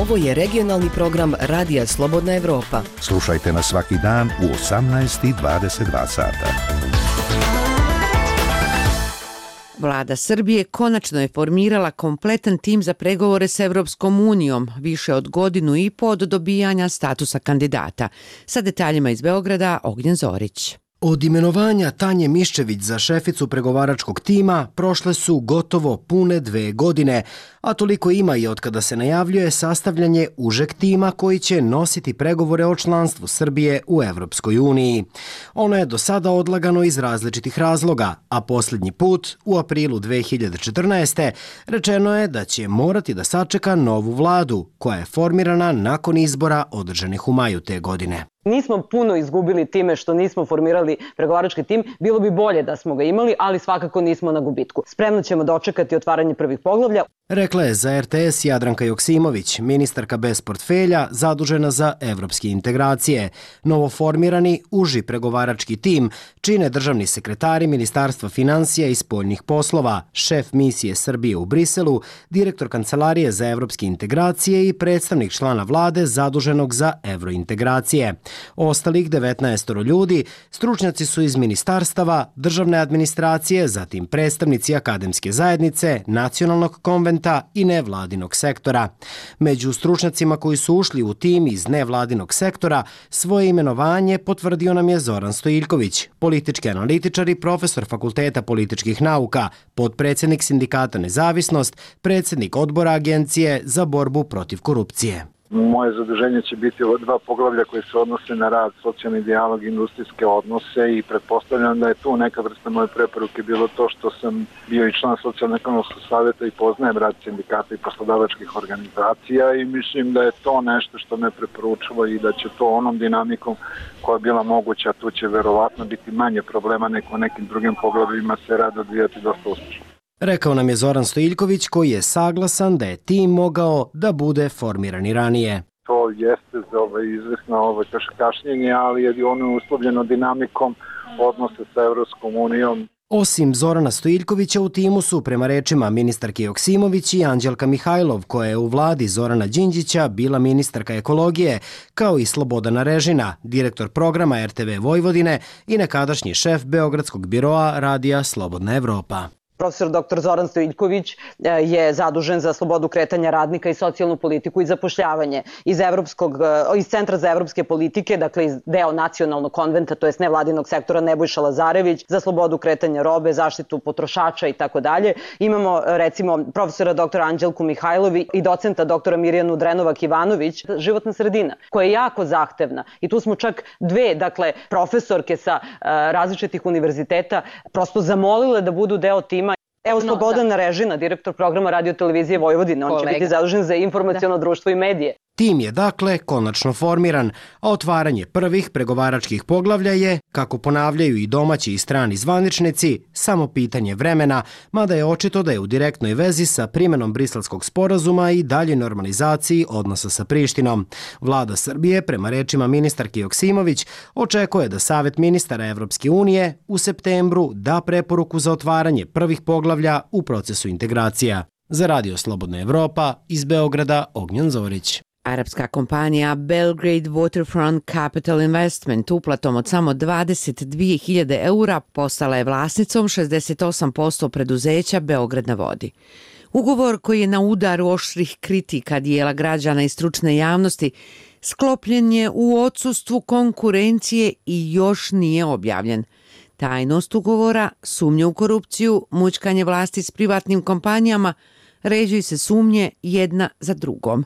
Ovo je regionalni program Radija Slobodna Evropa. Slušajte nas svaki dan u osamnaest i dvadeset dva sata. Vlada Srbije konačno je formirala kompletan tim za pregovore s Evropskom unijom, više od godinu i po od dobijanja statusa kandidata. Sa detaljima iz Beograda, Ognjen Zorić. Od imenovanja Tanje Miščević za šeficu pregovaračkog tima prošle su gotovo pune dve godine, a toliko ima i od kada se najavljuje sastavljanje užeg tima koji će nositi pregovore o članstvu Srbije u Evropskoj uniji. Ono je do sada odlagano iz različitih razloga, a posljednji put, u aprilu dve hiljade četrnaeste. rečeno je da će morati da sačeka novu vladu, koja je formirana nakon izbora održanih u maju te godine. Nismo puno izgubili time što nismo formirali pregovarački tim, bilo bi bolje da smo ga imali, ali svakako nismo na gubitku. Spremno ćemo dočekati otvaranje prvih poglavlja. Rekla je za er te es Jadranka Joksimović, ministarka bez portfelja zadužena za evropske integracije. Novoformirani uži pregovarački tim čine državni sekretari Ministarstva financija i spoljnih poslova, šef misije Srbije u Briselu, direktor Kancelarije za evropske integracije i predstavnik člana vlade zaduženog za evrointegracije. Ostalih devetnaest ljudi stručnjaci su iz ministarstava, državne administracije, zatim predstavnici akademske zajednice, nacionalnog konventa i nevladinog sektora. Među stručnjacima koji su ušli u tim iz nevladinog sektora svoje imenovanje potvrdio nam je Zoran Stojiljković, politički analitičar i profesor Fakulteta političkih nauka, potpredsjednik sindikata Nezavisnost, predsjednik odbora Agencije za borbu protiv korupcije. Moje zaduženje će biti ova dva poglavlja koje se odnose na rad, socijalni dijalog i industrijske odnose i pretpostavljam da je tu neka vrsta moje preporuke bilo to što sam bio i član socijalno-ekonomskog savjeta i poznajem rad sindikata i poslodavačkih organizacija i mislim da je to nešto što me preporučilo i da će to onom dinamikom koja je bila moguća, tu će verovatno biti manje problema nego u nekim drugim poglavljima se rad odvijati dosta uspješno. Rekao nam je Zoran Stojiljković koji je saglasan da je tim mogao da bude formiran i ranije. To jeste za ovaj izvesno ovaj kašnjenje, ali je ono uslovljeno dinamikom odnose sa Evropskom unijom. Osim Zorana Stojiljkovića u timu su, prema rečima ministarke Joksimović i Anđelka Mihajlov, koja je u vladi Zorana Đinđića bila ministarka ekologije, kao i Slobodana Režina, direktor programa er te ve Vojvodine i nekadašnji šef Beogradskog biroa Radija Slobodna Evropa. Profesor doktor Zoran Stojiljković je zadužen za slobodu kretanja radnika i socijalnu politiku i zapošljavanje iz, Evropskog, iz Centra za evropske politike, dakle iz deo nacionalnog konventa, to jest nevladinog sektora Nebojša Lazarević, za slobodu kretanja robe, zaštitu potrošača i tako dalje. Imamo recimo profesora doktora Anđelku Mihajlovi i docenta doktora Mirjanu Drenovac-Ivanović, životna sredina, koja je jako zahtevna. I tu smo čak dve, dakle, profesorke sa uh, različitih univerziteta prosto zamolile da budu deo tima. Evo Slobodan Režina, direktor programa Radio televizije Vojvodine, on će biti zadužen za informaciono društvo i medije. Tim je dakle konačno formiran, a otvaranje prvih pregovaračkih poglavlja je, kako ponavljaju i domaći i strani zvaničnici, samo pitanje vremena, mada je očito da je u direktnoj vezi sa primjenom Briselskog sporazuma i dalje normalizaciji odnosa sa Prištinom. Vlada Srbije, prema rečima ministarke Joksimović, očekuje da Savet ministara Evropske unije u septembru da preporuku za otvaranje prvih poglavlja u procesu integracija. Za Radio Slobodna Evropa, iz Beograda, Ognjen Zorić. Arapska kompanija Belgrade Waterfront Capital Investment uplatom od samo dvadeset dvije hiljade eura postala je vlasnicom šezdeset osam posto preduzeća Beograd na vodi. Ugovor koji je na udaru oštrih kritika dijela građana i stručne javnosti sklopljen je u odsustvu konkurencije i još nije objavljen. Tajnost ugovora, sumnje u korupciju, mućkanje vlasti s privatnim kompanijama, ređuju se sumnje jedna za drugom.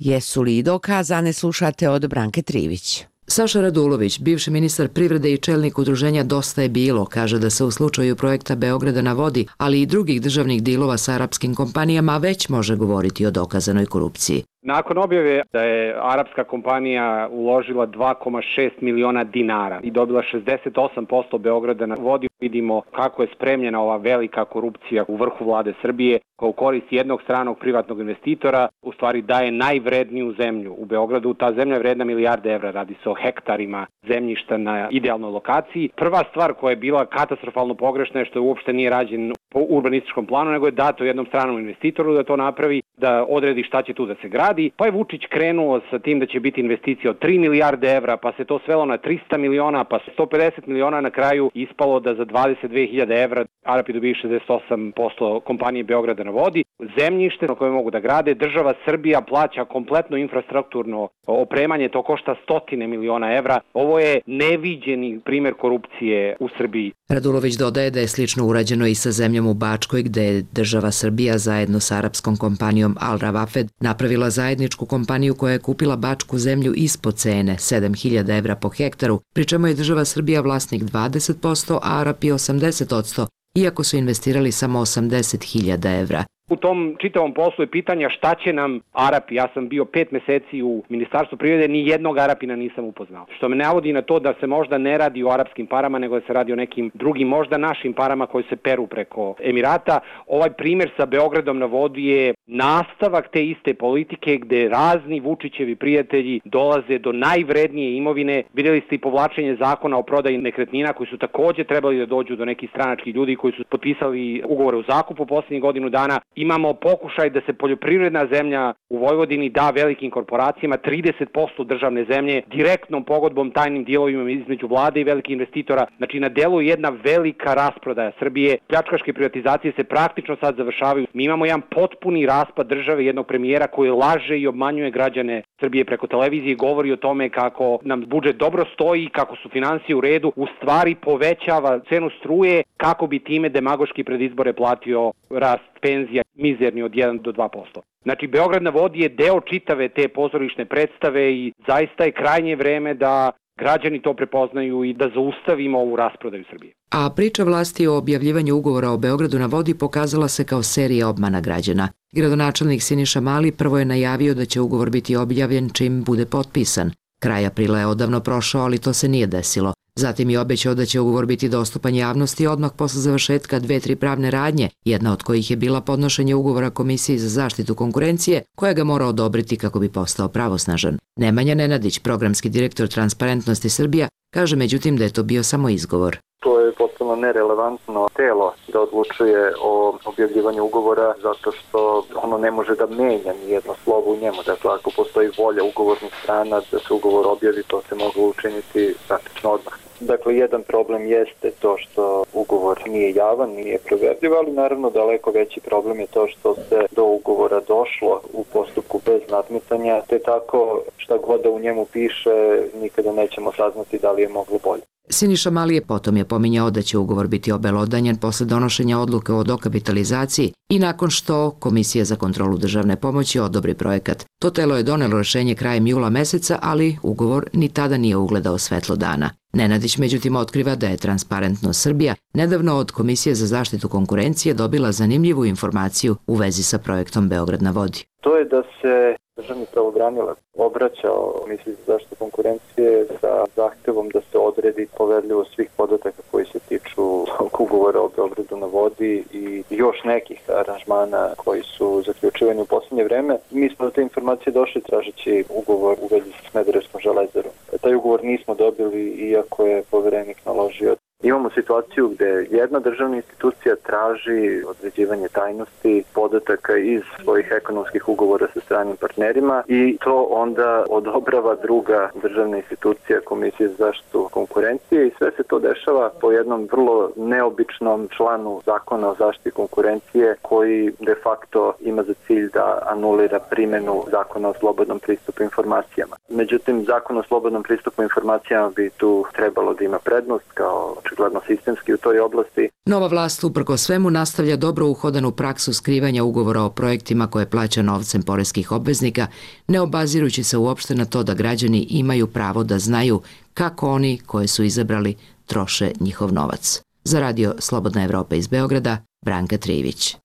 Jesu li dokazane, slušate od Branke Trivić. Saša Radulović, bivši ministar privrede i čelnik udruženja Dosta je bilo, kaže da se u slučaju projekta Beograda na vodi, ali i drugih državnih dilova sa arapskim kompanijama već može govoriti o dokazanoj korupciji. Nakon objave da je arapska kompanija uložila dva zarez šest miliona dinara i dobila šezdeset osam posto Beograda na vodi, vidimo kako je spremljena ova velika korupcija u vrhu vlade Srbije, koja u korist jednog stranog privatnog investitora u stvari daje najvredniju zemlju u Beogradu. Ta zemlja je vredna milijarde evra, radi se o hektarima zemljišta na idealnoj lokaciji. Prva stvar koja je bila katastrofalno pogrešna je što je uopšte nije rađen po urbanističkom planu, nego je dato jednom stranom investitoru da to napravi, da odredi šta će tu da se gradi. Pa je Vučić krenuo sa tim da će biti investicija od tri milijarde evra, pa se to svelo na trista miliona, pa sto pedeset miliona, na kraju ispalo da za dvadeset dvije hiljade evra Arapi dobiju šezdeset osam posto kompanije Beograda na vodi. Zemljište na koje mogu da grade, država Srbija plaća kompletno infrastrukturno opremanje, to košta stotine miliona evra. Ovo je neviđeni primjer korupcije u Srbiji. Radulović dodaje da je slično urađeno i sa zemljom u Bačkoj, gde je država Srbija zajedno sa arapskom kompanijom Al Rawafed napravila zajedničku kompaniju koja je kupila bačku zemlju ispod cene, sedam hiljada evra po hektaru, pri čemu je država Srbija vlasnik dvadeset posto, a Arapi osamdeset posto, iako su investirali samo osamdeset hiljada evra. U tom čitavom poslu je pitanja šta će nam Arapi. Ja sam bio pet meseci u Ministarstvu privrede, ni jednog Arapina nisam upoznao. Što me navodi na to da se možda ne radi o arapskim parama, nego da se radi o nekim drugim, možda našim parama koji se peru preko Emirata. Ovaj primjer sa Beogradom na vodi je nastavak te iste politike gde razni Vučićevi prijatelji dolaze do najvrednije imovine. Vidjeli ste i povlačenje zakona o prodaji nekretnina koji su također trebali da dođu do nekih stranačkih ljudi koji su potpisali ugovore o zakupu posljednjih godinu dana. Imamo pokušaj da se poljoprivredna zemlja u Vojvodini da velikim korporacijama, trideset posto državne zemlje, direktnom pogodbom, tajnim dijelovima između vlade i velikih investitora. Znači, na delu je jedna velika rasprodaja Srbije. Pljačkaške privatizacije se praktično sad završavaju. Mi imamo jedan potpuni raspad države, jednog premijera koji laže i obmanjuje građane Srbije preko televizije, govori o tome kako nam budžet dobro stoji, kako su finansije u redu, u stvari povećava cenu struje kako bi time demagoški pred izbore platio rast penzija mizerni od jedan do dva posto. Znači, Beograd na vodi je deo čitave te pozorišne predstave i zaista je krajnje vreme da građani to prepoznaju i da zaustavimo ovu rasprodaju Srbije. A priča vlasti o objavljivanju ugovora o Beogradu na vodi pokazala se kao serija obmana građana. Gradonačelnik Siniša Mali prvo je najavio da će ugovor biti objavljen čim bude potpisan. Kraj aprila je odavno prošao, ali to se nije desilo. Zatim je obećao da će ugovor biti dostupan javnosti odmah posle završetka dve, tri pravne radnje, jedna od kojih je bila podnošenje ugovora Komisiji za zaštitu konkurencije, koja ga mora odobriti kako bi postao pravosnažan. Nemanja Nenadić, programski direktor Transparentnosti Srbija, kaže međutim da je to bio samo izgovor. To je potpuno nerelevantno telo da odlučuje o objavljivanju ugovora zato što ono ne može da menja ni jedno slovo u njemu. Dakle, ako postoji volja ugovornih strana da se ugovor objavi, to se moglo učiniti praktično odmah. Dakle, jedan problem jeste to što ugovor nije javan, nije proverljiv, ali naravno daleko veći problem je to što se do ugovora došlo u postupku bez nadmetanja, te tako šta god da u njemu piše nikada nećemo saznati da li je moglo bolje. Siniša Mali je potom je pominjao da će ugovor biti obelodanjen posle donošenja odluke o dokapitalizaciji i nakon što Komisija za kontrolu državne pomoći odobri projekat. To telo je donelo rešenje krajem jula meseca, ali ugovor ni tada nije ugledao svetlo dana. Nenadić međutim otkriva da je Transparentnost Srbija nedavno od Komisije za zaštitu konkurencije dobila zanimljivu informaciju u vezi sa projektom Beograd na vodi. To je da se Državni pravobranilac obraćao Komisiji za zaštitu konkurencije sa zahtevom da se odredi poverljivost svih podataka koji se tiču ugovora o Beogradu na vodi i još nekih aranžmana koji su zaključivani u posljednje vreme. Mi smo do te informacije došli tražeći ugovor u vezi sa Smederevskom železarom. Taj ugovor nismo dobili iako je poverenik naložio. Imamo situaciju gde jedna državna institucija traži određivanje tajnosti podataka iz svojih ekonomskih ugovora sa stranim partnerima i to onda odobrava druga državna institucija, Komisija za zaštitu konkurencije, i sve se to dešava po jednom vrlo neobičnom članu Zakona o zaštiti konkurencije koji de facto ima za cilj da anulira primenu Zakona o slobodnom pristupu informacijama. Međutim, Zakon o slobodnom pristupu informacijama bi tu trebalo da ima prednost kao očigledno sistemski u toj oblasti. Nova vlast uprko svemu nastavlja dobro uhodanu praksu skrivanja ugovora o projektima koje plaća novcem poreskih obveznika, ne obazirujući se uopšte na to da građani imaju pravo da znaju kako oni koje su izabrali troše njihov novac. Za radio Slobodna Evropa iz Beograda, Branka Trivić.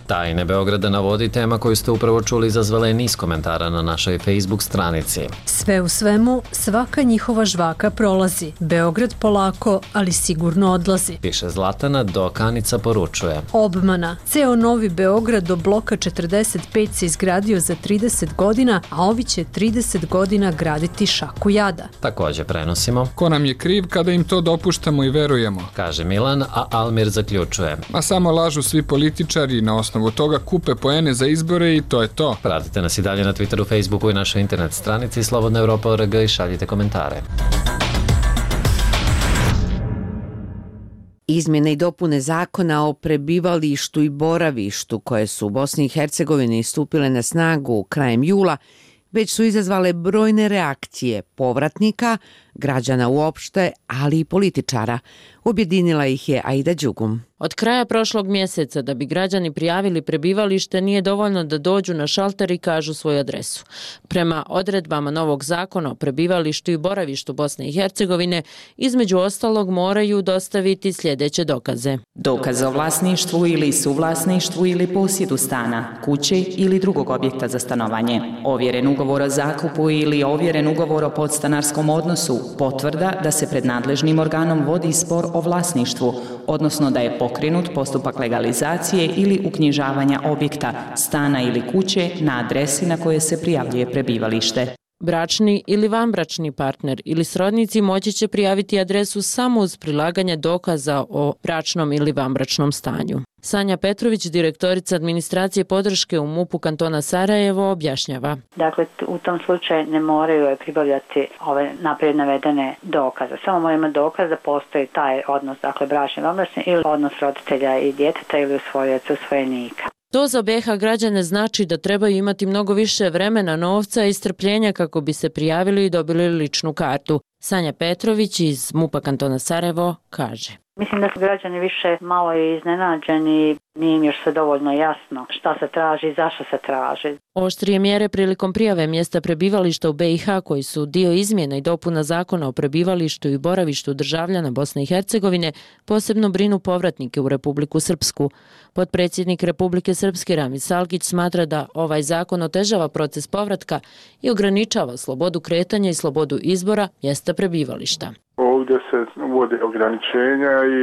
Tajne Beograda na vodi, tema koju ste upravo čuli, izazvala je niz komentara na našoj Facebook stranici. Sve u svemu, svaka njihova žvaka prolazi. Beograd polako, ali sigurno odlazi. Piše Zlatana, dok Anica poručuje. Obmana. Ceo Novi Beograd do bloka četrdeset pet se izgradio za trideset godina, a ovi će trideset godina graditi šaku jada. Također prenosimo. Ko nam je kriv kada im to dopuštamo i verujemo? Kaže Milan, a Almir zaključuje. Ma samo lažu svi političari na osnovu od toga kupe poene za izbore i to je to. Pratite nas i dalje na Twitteru, Facebooku i našoj internet stranici Slobodna Evropa punkt org i šaljite komentare. Izmjene i dopune zakona o prebivalištu i boravištu koje su u Bosni i Hercegovini stupile na snagu krajem jula već su izazvale brojne reakcije povratnika, građana uopšte, ali i političara. Objedinila ih je Aida Đugum. Od kraja prošlog mjeseca da bi građani prijavili prebivalište nije dovoljno da dođu na šalter i kažu svoju adresu. Prema odredbama novog zakona o prebivalištu i boravištu Bosne i Hercegovine, između ostalog moraju dostaviti sljedeće dokaze. Dokaz o vlasništvu ili suvlasništvu ili posjedu stana, kuće ili drugog objekta za stanovanje, ovjeren ugovor o zakupu ili ovjeren ugovor o podstanarskom odnosu, potvrda da se pred nadležnim organom vodi spor o vlasništvu, odnosno da je pokrenut postupak legalizacije ili uknjižavanja objekta, stana ili kuće na adresi na kojoj se prijavljuje prebivalište. Bračni ili vanbračni partner ili srodnici moći će prijaviti adresu samo uz prilaganje dokaza o bračnom ili vanbračnom stanju. Sanja Petrović, direktorica administracije podrške u MUP-u kantona Sarajevo, objašnjava. Dakle, u tom slučaju ne moraju pribavljati ove naprijed navedene dokaze. Samo moraju imati dokaz da postoji taj odnos, dakle bračni, vanbračni ili odnos roditelja i djeteta ili usvojaca, usvojenika. To za B i H građane znači da trebaju imati mnogo više vremena, novca i strpljenja kako bi se prijavili i dobili ličnu kartu. Sanja Petrović iz MUP-a kantona Sarajevo kaže. Mislim da su građani više malo iznenađeni, nije im još sve dovoljno jasno šta se traži i zašto se traži. Oštrije mjere prilikom prijave mjesta prebivališta u B i H koji su dio izmjena i dopuna zakona o prebivalištu i boravištu državljana Bosne i Hercegovine posebno brinu povratnike u Republiku Srpsku. Potpredsjednik Republike Srpske Ramiz Salkić smatra da ovaj zakon otežava proces povratka i ograničava slobodu kretanja i slobodu izbora mjesta prebivališta. Ovdje se uvode ograničenja i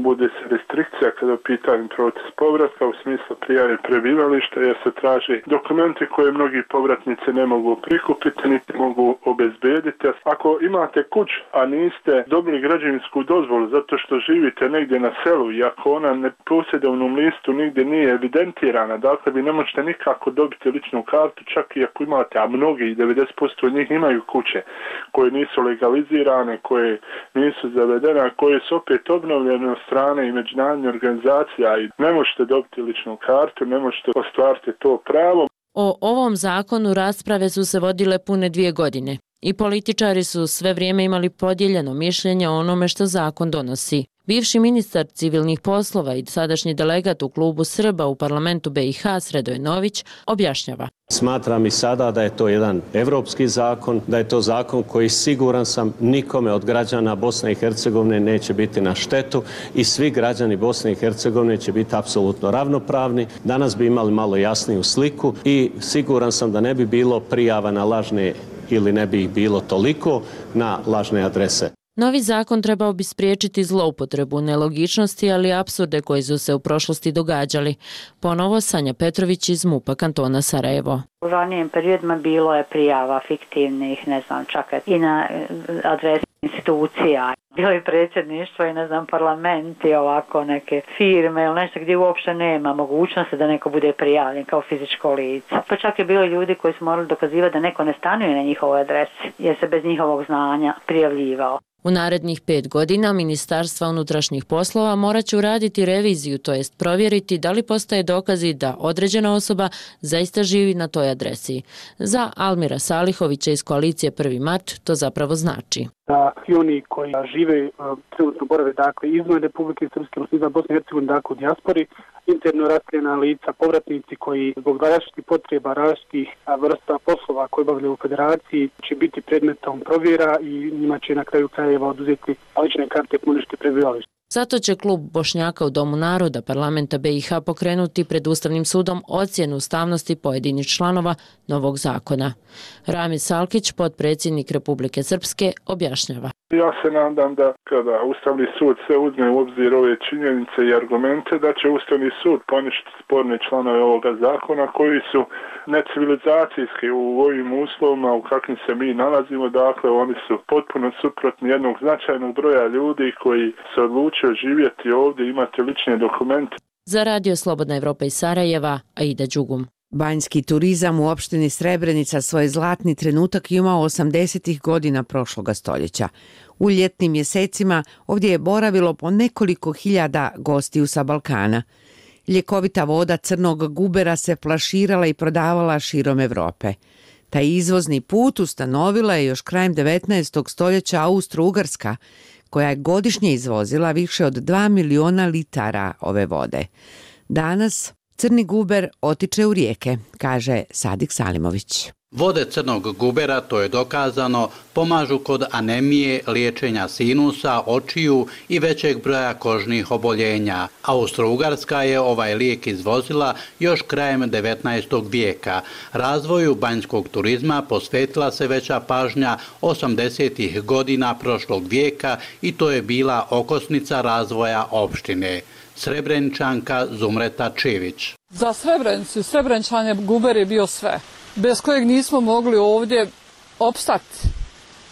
bude se restrikcija kada je pitanju proces povratka u smislu prijave prebivališta jer se traži dokumenti koje mnogi povratnici ne mogu prikupiti niti mogu obezbediti. Ako imate kuću, a niste dobili građevinsku dozvolu zato što živite negdje na selu i ako ona ne posjedovnom listu nigdje nije evidentirana, dakle vi ne možete nikako dobiti ličnu kartu čak i ako imate, a mnogi, devedeset posto od njih imaju kuće koje nisu legalizirane, koje nisu zavedene, a koje su opet obnovljene od strane i međunarodnih organizacija i ne možete dobiti ličnu kartu, ne možete ostvariti to pravo. O ovom zakonu rasprave su se vodile pune dvije godine i političari su sve vrijeme imali podijeljeno mišljenje o onome što zakon donosi. Bivši ministar civilnih poslova i sadašnji delegat u klubu Srba u parlamentu B i H Sredoje Nović objašnjava. Smatram i sada da je to jedan evropski zakon, da je to zakon koji siguran sam nikome od građana Bosne i Hercegovine neće biti na štetu i svi građani Bosne i Hercegovine će biti apsolutno ravnopravni. Danas bi imali malo jasniju sliku i siguran sam da ne bi bilo prijava na lažne ili ne bi ih bilo toliko na lažne adrese. Novi zakon trebao bi spriječiti zloupotrebu, nelogičnosti, ali i apsurde koji su se u prošlosti događali. Ponovo Sanja Petrović iz MUP-a kantona Sarajevo. U ranijim periodima bilo je prijava fiktivnih, ne znam, čak i na adresi institucija. Bilo je predsjedništvo i ne znam, parlament i ovako neke firme ili nešto gdje uopšte nema mogućnosti da neko bude prijavljen kao fizičko lice. Pa čak je bilo ljudi koji su morali dokazivati da neko ne stanuje na njihovoj adresi jer se bez njihovog znanja prijavljivao. U narednih pet godina Ministarstva unutrašnjih poslova morat će uraditi reviziju, to jest provjeriti da li postoje dokazi da određena osoba zaista živi na toj adresi. Za Almira Salihovića iz koalicije Prvi mart to zapravo znači. Da i oni koji žive trenutno borave dakle izvan Republike Srpske, izvan Bosne i Hercegovine, dakle u dijaspori, interno raseljena lica, povratnici koji zbog različitih potreba, različitih vrsta poslova koje obavljaju u federaciji će biti predmetom provjera i njima će na kraju krajeva oduzeti lične karte puniške prebivališta. Zato će klub Bošnjaka u Domu naroda parlamenta B i H pokrenuti pred Ustavnim sudom ocjenu ustavnosti pojedinih članova novog zakona. Rami Salkić, potpredsjednik Republike Srpske, objašnjava. Ja se nadam da kada Ustavni sud sve uzme u obzir ove činjenice i argumente, da će Ustavni sud poništiti sporne članove ovoga zakona koji su necivilizacijski u ovim uslovima u kakvim se mi nalazimo. Dakle, oni su potpuno suprotni jednog značajnog broja ljudi koji se odlučio živjeti ovdje, imati lične dokumente. Za Radio Slobodna Evropa iz Sarajeva, Aida Đugum. Banjski turizam u opštini Srebrenica svoj zlatni trenutak imao osamdesetih godina prošloga stoljeća. U ljetnim mjesecima ovdje je boravilo po nekoliko hiljada gostiju sa Balkana. Ljekovita voda crnog gubera se flaširala i prodavala širom Evrope. Taj izvozni put ustanovila je još krajem devetnaestog stoljeća Austro-Ugarska, koja je godišnje izvozila više od dva miliona litara ove vode. Danas crni guber otiče u rijeke, kaže Sadik Salimović. Vode crnog gubera, to je dokazano, pomažu kod anemije, liječenja sinusa, očiju i većeg broja kožnih oboljenja. Austro-Ugarska je ovaj lijek izvozila još krajem devetnaestog vijeka. Razvoju banjskog turizma posvetila se veća pažnja osamdesetih godina prošlog vijeka i to je bila okosnica razvoja opštine. Srebreničanka Zumreta Čević. Za Srebrenicu i Srebrenčane guber je bio sve, bez kojeg nismo mogli ovdje opstati.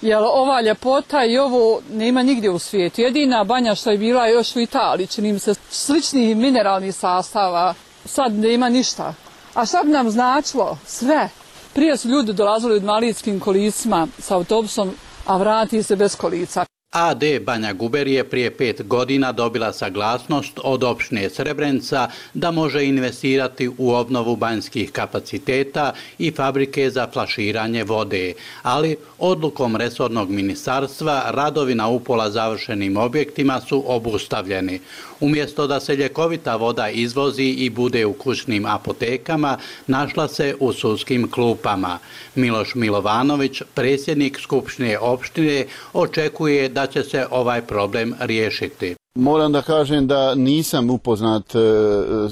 Jer ova ljepota i ovo nema nigdje u svijetu. Jedina banja što je bila još u Italiji, čini mi se sličnih mineralnih sastava, sad nema ništa. A šta bi nam značilo? Sve. Prije su ljudi dolazili u invalidskim kolicima s autobusom, a vrati se bez kolica. A D Banja Guber je prije pet godina dobila saglasnost od opštine Srebrenica da može investirati u obnovu banjskih kapaciteta i fabrike za flaširanje vode, ali odlukom resornog ministarstva radovi na upola završenim objektima su obustavljeni. Umjesto da se ljekovita voda izvozi i bude u kućnim apotekama, našla se u sudskim klupama. Miloš Milovanović, predsjednik Skupštine opštine, očekuje da će se ovaj problem riješiti. Moram da kažem da nisam upoznat e,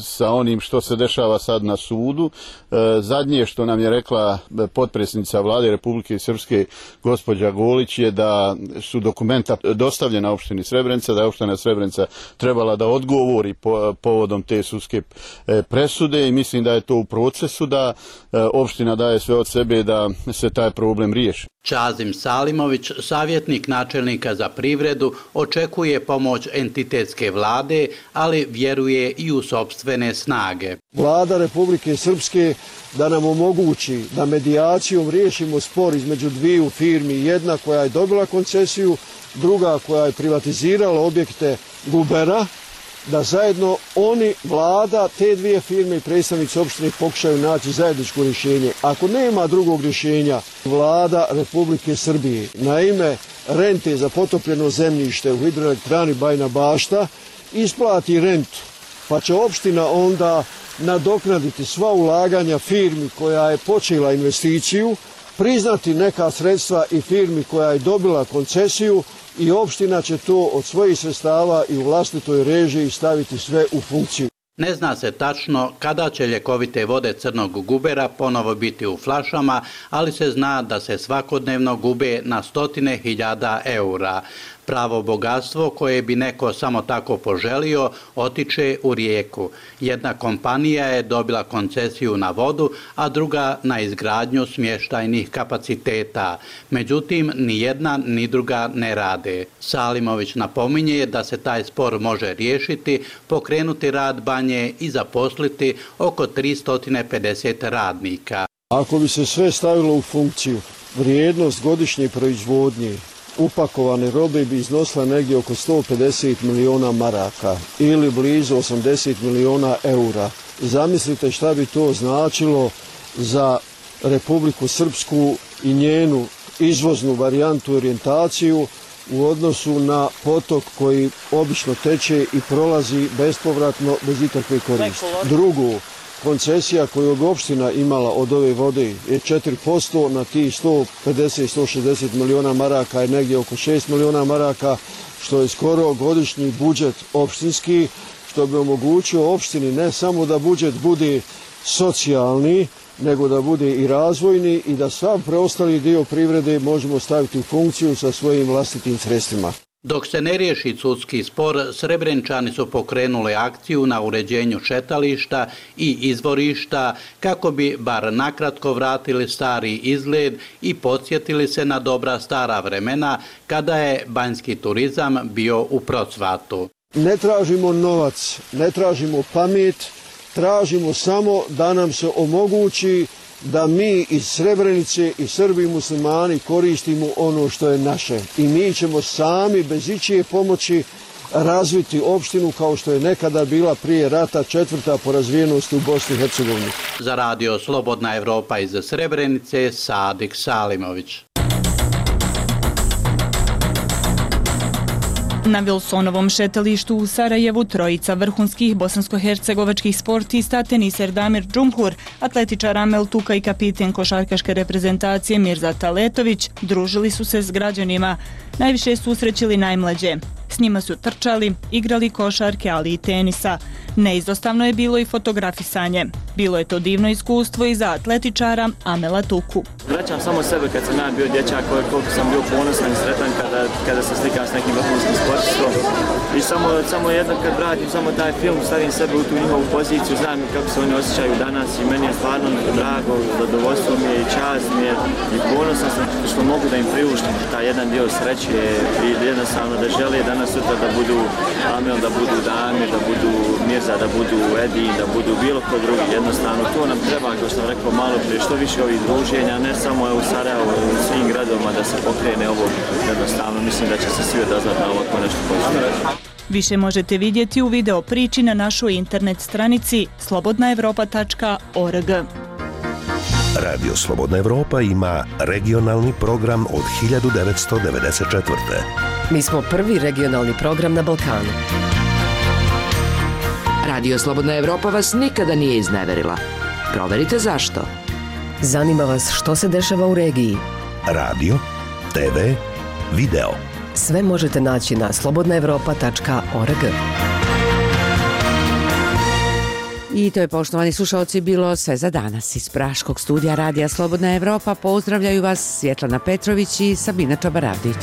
sa onim što se dešava sad na sudu. E, zadnje što nam je rekla potpredsjednica vlade Republike Srpske gospođa Golić je da su dokumenta dostavljena opštini Srebrenica, da je opština Srebrenica trebala da odgovori po, povodom te sudske e, presude i mislim da je to u procesu, da e, opština daje sve od sebe da se taj problem riješi. Čazim Salimović, savjetnik načelnika za privredu, očekuje pomoć entitetske vlade, ali vjeruje i u sopstvene snage. Vlada Republike Srpske da nam omogući da medijacijom riješimo spor između dviju firmi, jedna koja je dobila koncesiju, druga koja je privatizirala objekte gubera, da zajedno oni, vlada, te dvije firme i predstavnici opštine pokušaju naći zajedničko rješenje. Ako nema drugog rješenja, vlada Republike Srbije na ime rente za potopljeno zemljište u hidroelektrani Bajina Bašta isplati rentu pa će opština onda nadoknaditi sva ulaganja firmi koja je počela investiciju, priznati neka sredstva i firmi koja je dobila koncesiju i opština će to od svojih sredstava i u vlastitoj režiji staviti sve u funkciju. Ne zna se tačno kada će ljekovite vode crnog gubera ponovo biti u flašama, ali se zna da se svakodnevno gube na stotine hiljada eura. Pravo bogatstvo koje bi neko samo tako poželio otiče u rijeku. Jedna kompanija je dobila koncesiju na vodu, a druga na izgradnju smještajnih kapaciteta. Međutim, ni jedna ni druga ne rade. Salimović napominje da se taj spor može riješiti, pokrenuti rad banje i zaposliti oko tristo pedeset radnika. Ako bi se sve stavilo u funkciju, vrijednost godišnje proizvodnje upakovane robe bi iznosila negdje oko sto pedeset miliona maraka ili blizu osamdeset miliona eura. Zamislite šta bi to značilo za Republiku Srpsku i njenu izvoznu varijantu orijentaciju u odnosu na potok koji obično teče i prolazi bespovratno bez ikakve koristi. Drugo, koncesija koju je opština imala od ove vode je četiri posto, na tih sto pedeset do sto šezdeset miliona maraka je negdje oko šest miliona maraka, što je skoro godišnji budžet opštinski, što bi omogućio opštini ne samo da budžet bude socijalni, nego da bude i razvojni i da sav preostali dio privrede možemo staviti u funkciju sa svojim vlastitim sredstvima. Dok se ne riješi sudski spor, Srebrenčani su pokrenuli akciju na uređenju šetališta i izvorišta kako bi bar nakratko vratili stari izgled i podsjetili se na dobra stara vremena kada je banjski turizam bio u procvatu. Ne tražimo novac, ne tražimo pamet, tražimo samo da nam se omogući da mi iz Srebrenice i Srbi i muslimani koristimo ono što je naše. I mi ćemo sami bez ičije pomoći razviti opštinu kao što je nekada bila prije rata četvrta po razvijenosti u Bosni i Hercegovini. Za radio Slobodna Evropa iz Srebrenice, Sadik Salimović. Na Vilsonovom šetalištu u Sarajevu trojica vrhunskih bosansko-hercegovačkih sportista, teniser Damir Džumhur, atletičar Amel Tuka i kapiten košarkaške reprezentacije Mirza Taletović družili su se s građanima. Najviše su usrećili najmlađe. S njima su trčali, igrali košarke, ali i tenisa. Neizostavno je bilo i fotografisanje. Bilo je to divno iskustvo i za atletičara Amela Tuku. Vraćam samo sebe kad sam ja bio dječak, koliko sam bio ponosan i sretan kada, kada se slikam s nekim vrhunskim sportistom. I samo, samo jedno kad vratim samo taj film, stavim sebe u tu njihovu poziciju, znam kako se oni osjećaju danas i meni je stvarno drago, zadovoljstvo mi je i čast mi je i ponosan sam što mogu da im priuštim taj jedan dio sreće i jednostavno da žele danas sutra da budu Amel, da budu Damir, da budu Mirza, da budu Edin, da budu bilo ko drugi. Jednostavno to nam treba, kao što sam rekao malo prije, što više ovih druženja, ne samo u Sarajevu, u svim gradovima da se pokrene ovo. Jednostavno mislim da će se svi odazvati na ovako nešto pozitivno. Više možete vidjeti u video priči na našoj internet stranici slobodna evropa tačka org. Radio Slobodna Evropa ima regionalni program od hiljadu devetsto devedeset četvrte. Mi smo prvi regionalni program na Balkanu. Radio Slobodna Evropa vas nikada nije izneverila. Proverite zašto. Zanima vas što se dešava u regiji. Radio, te ve, video. Sve možete naći na slobodna evropa tačka org. I to je, poštovani slušalci, bilo sve za danas. Iz Praškog studija Radija Slobodna Evropa pozdravljaju vas Svjetlana Petrović i Sabina Čabaravdić.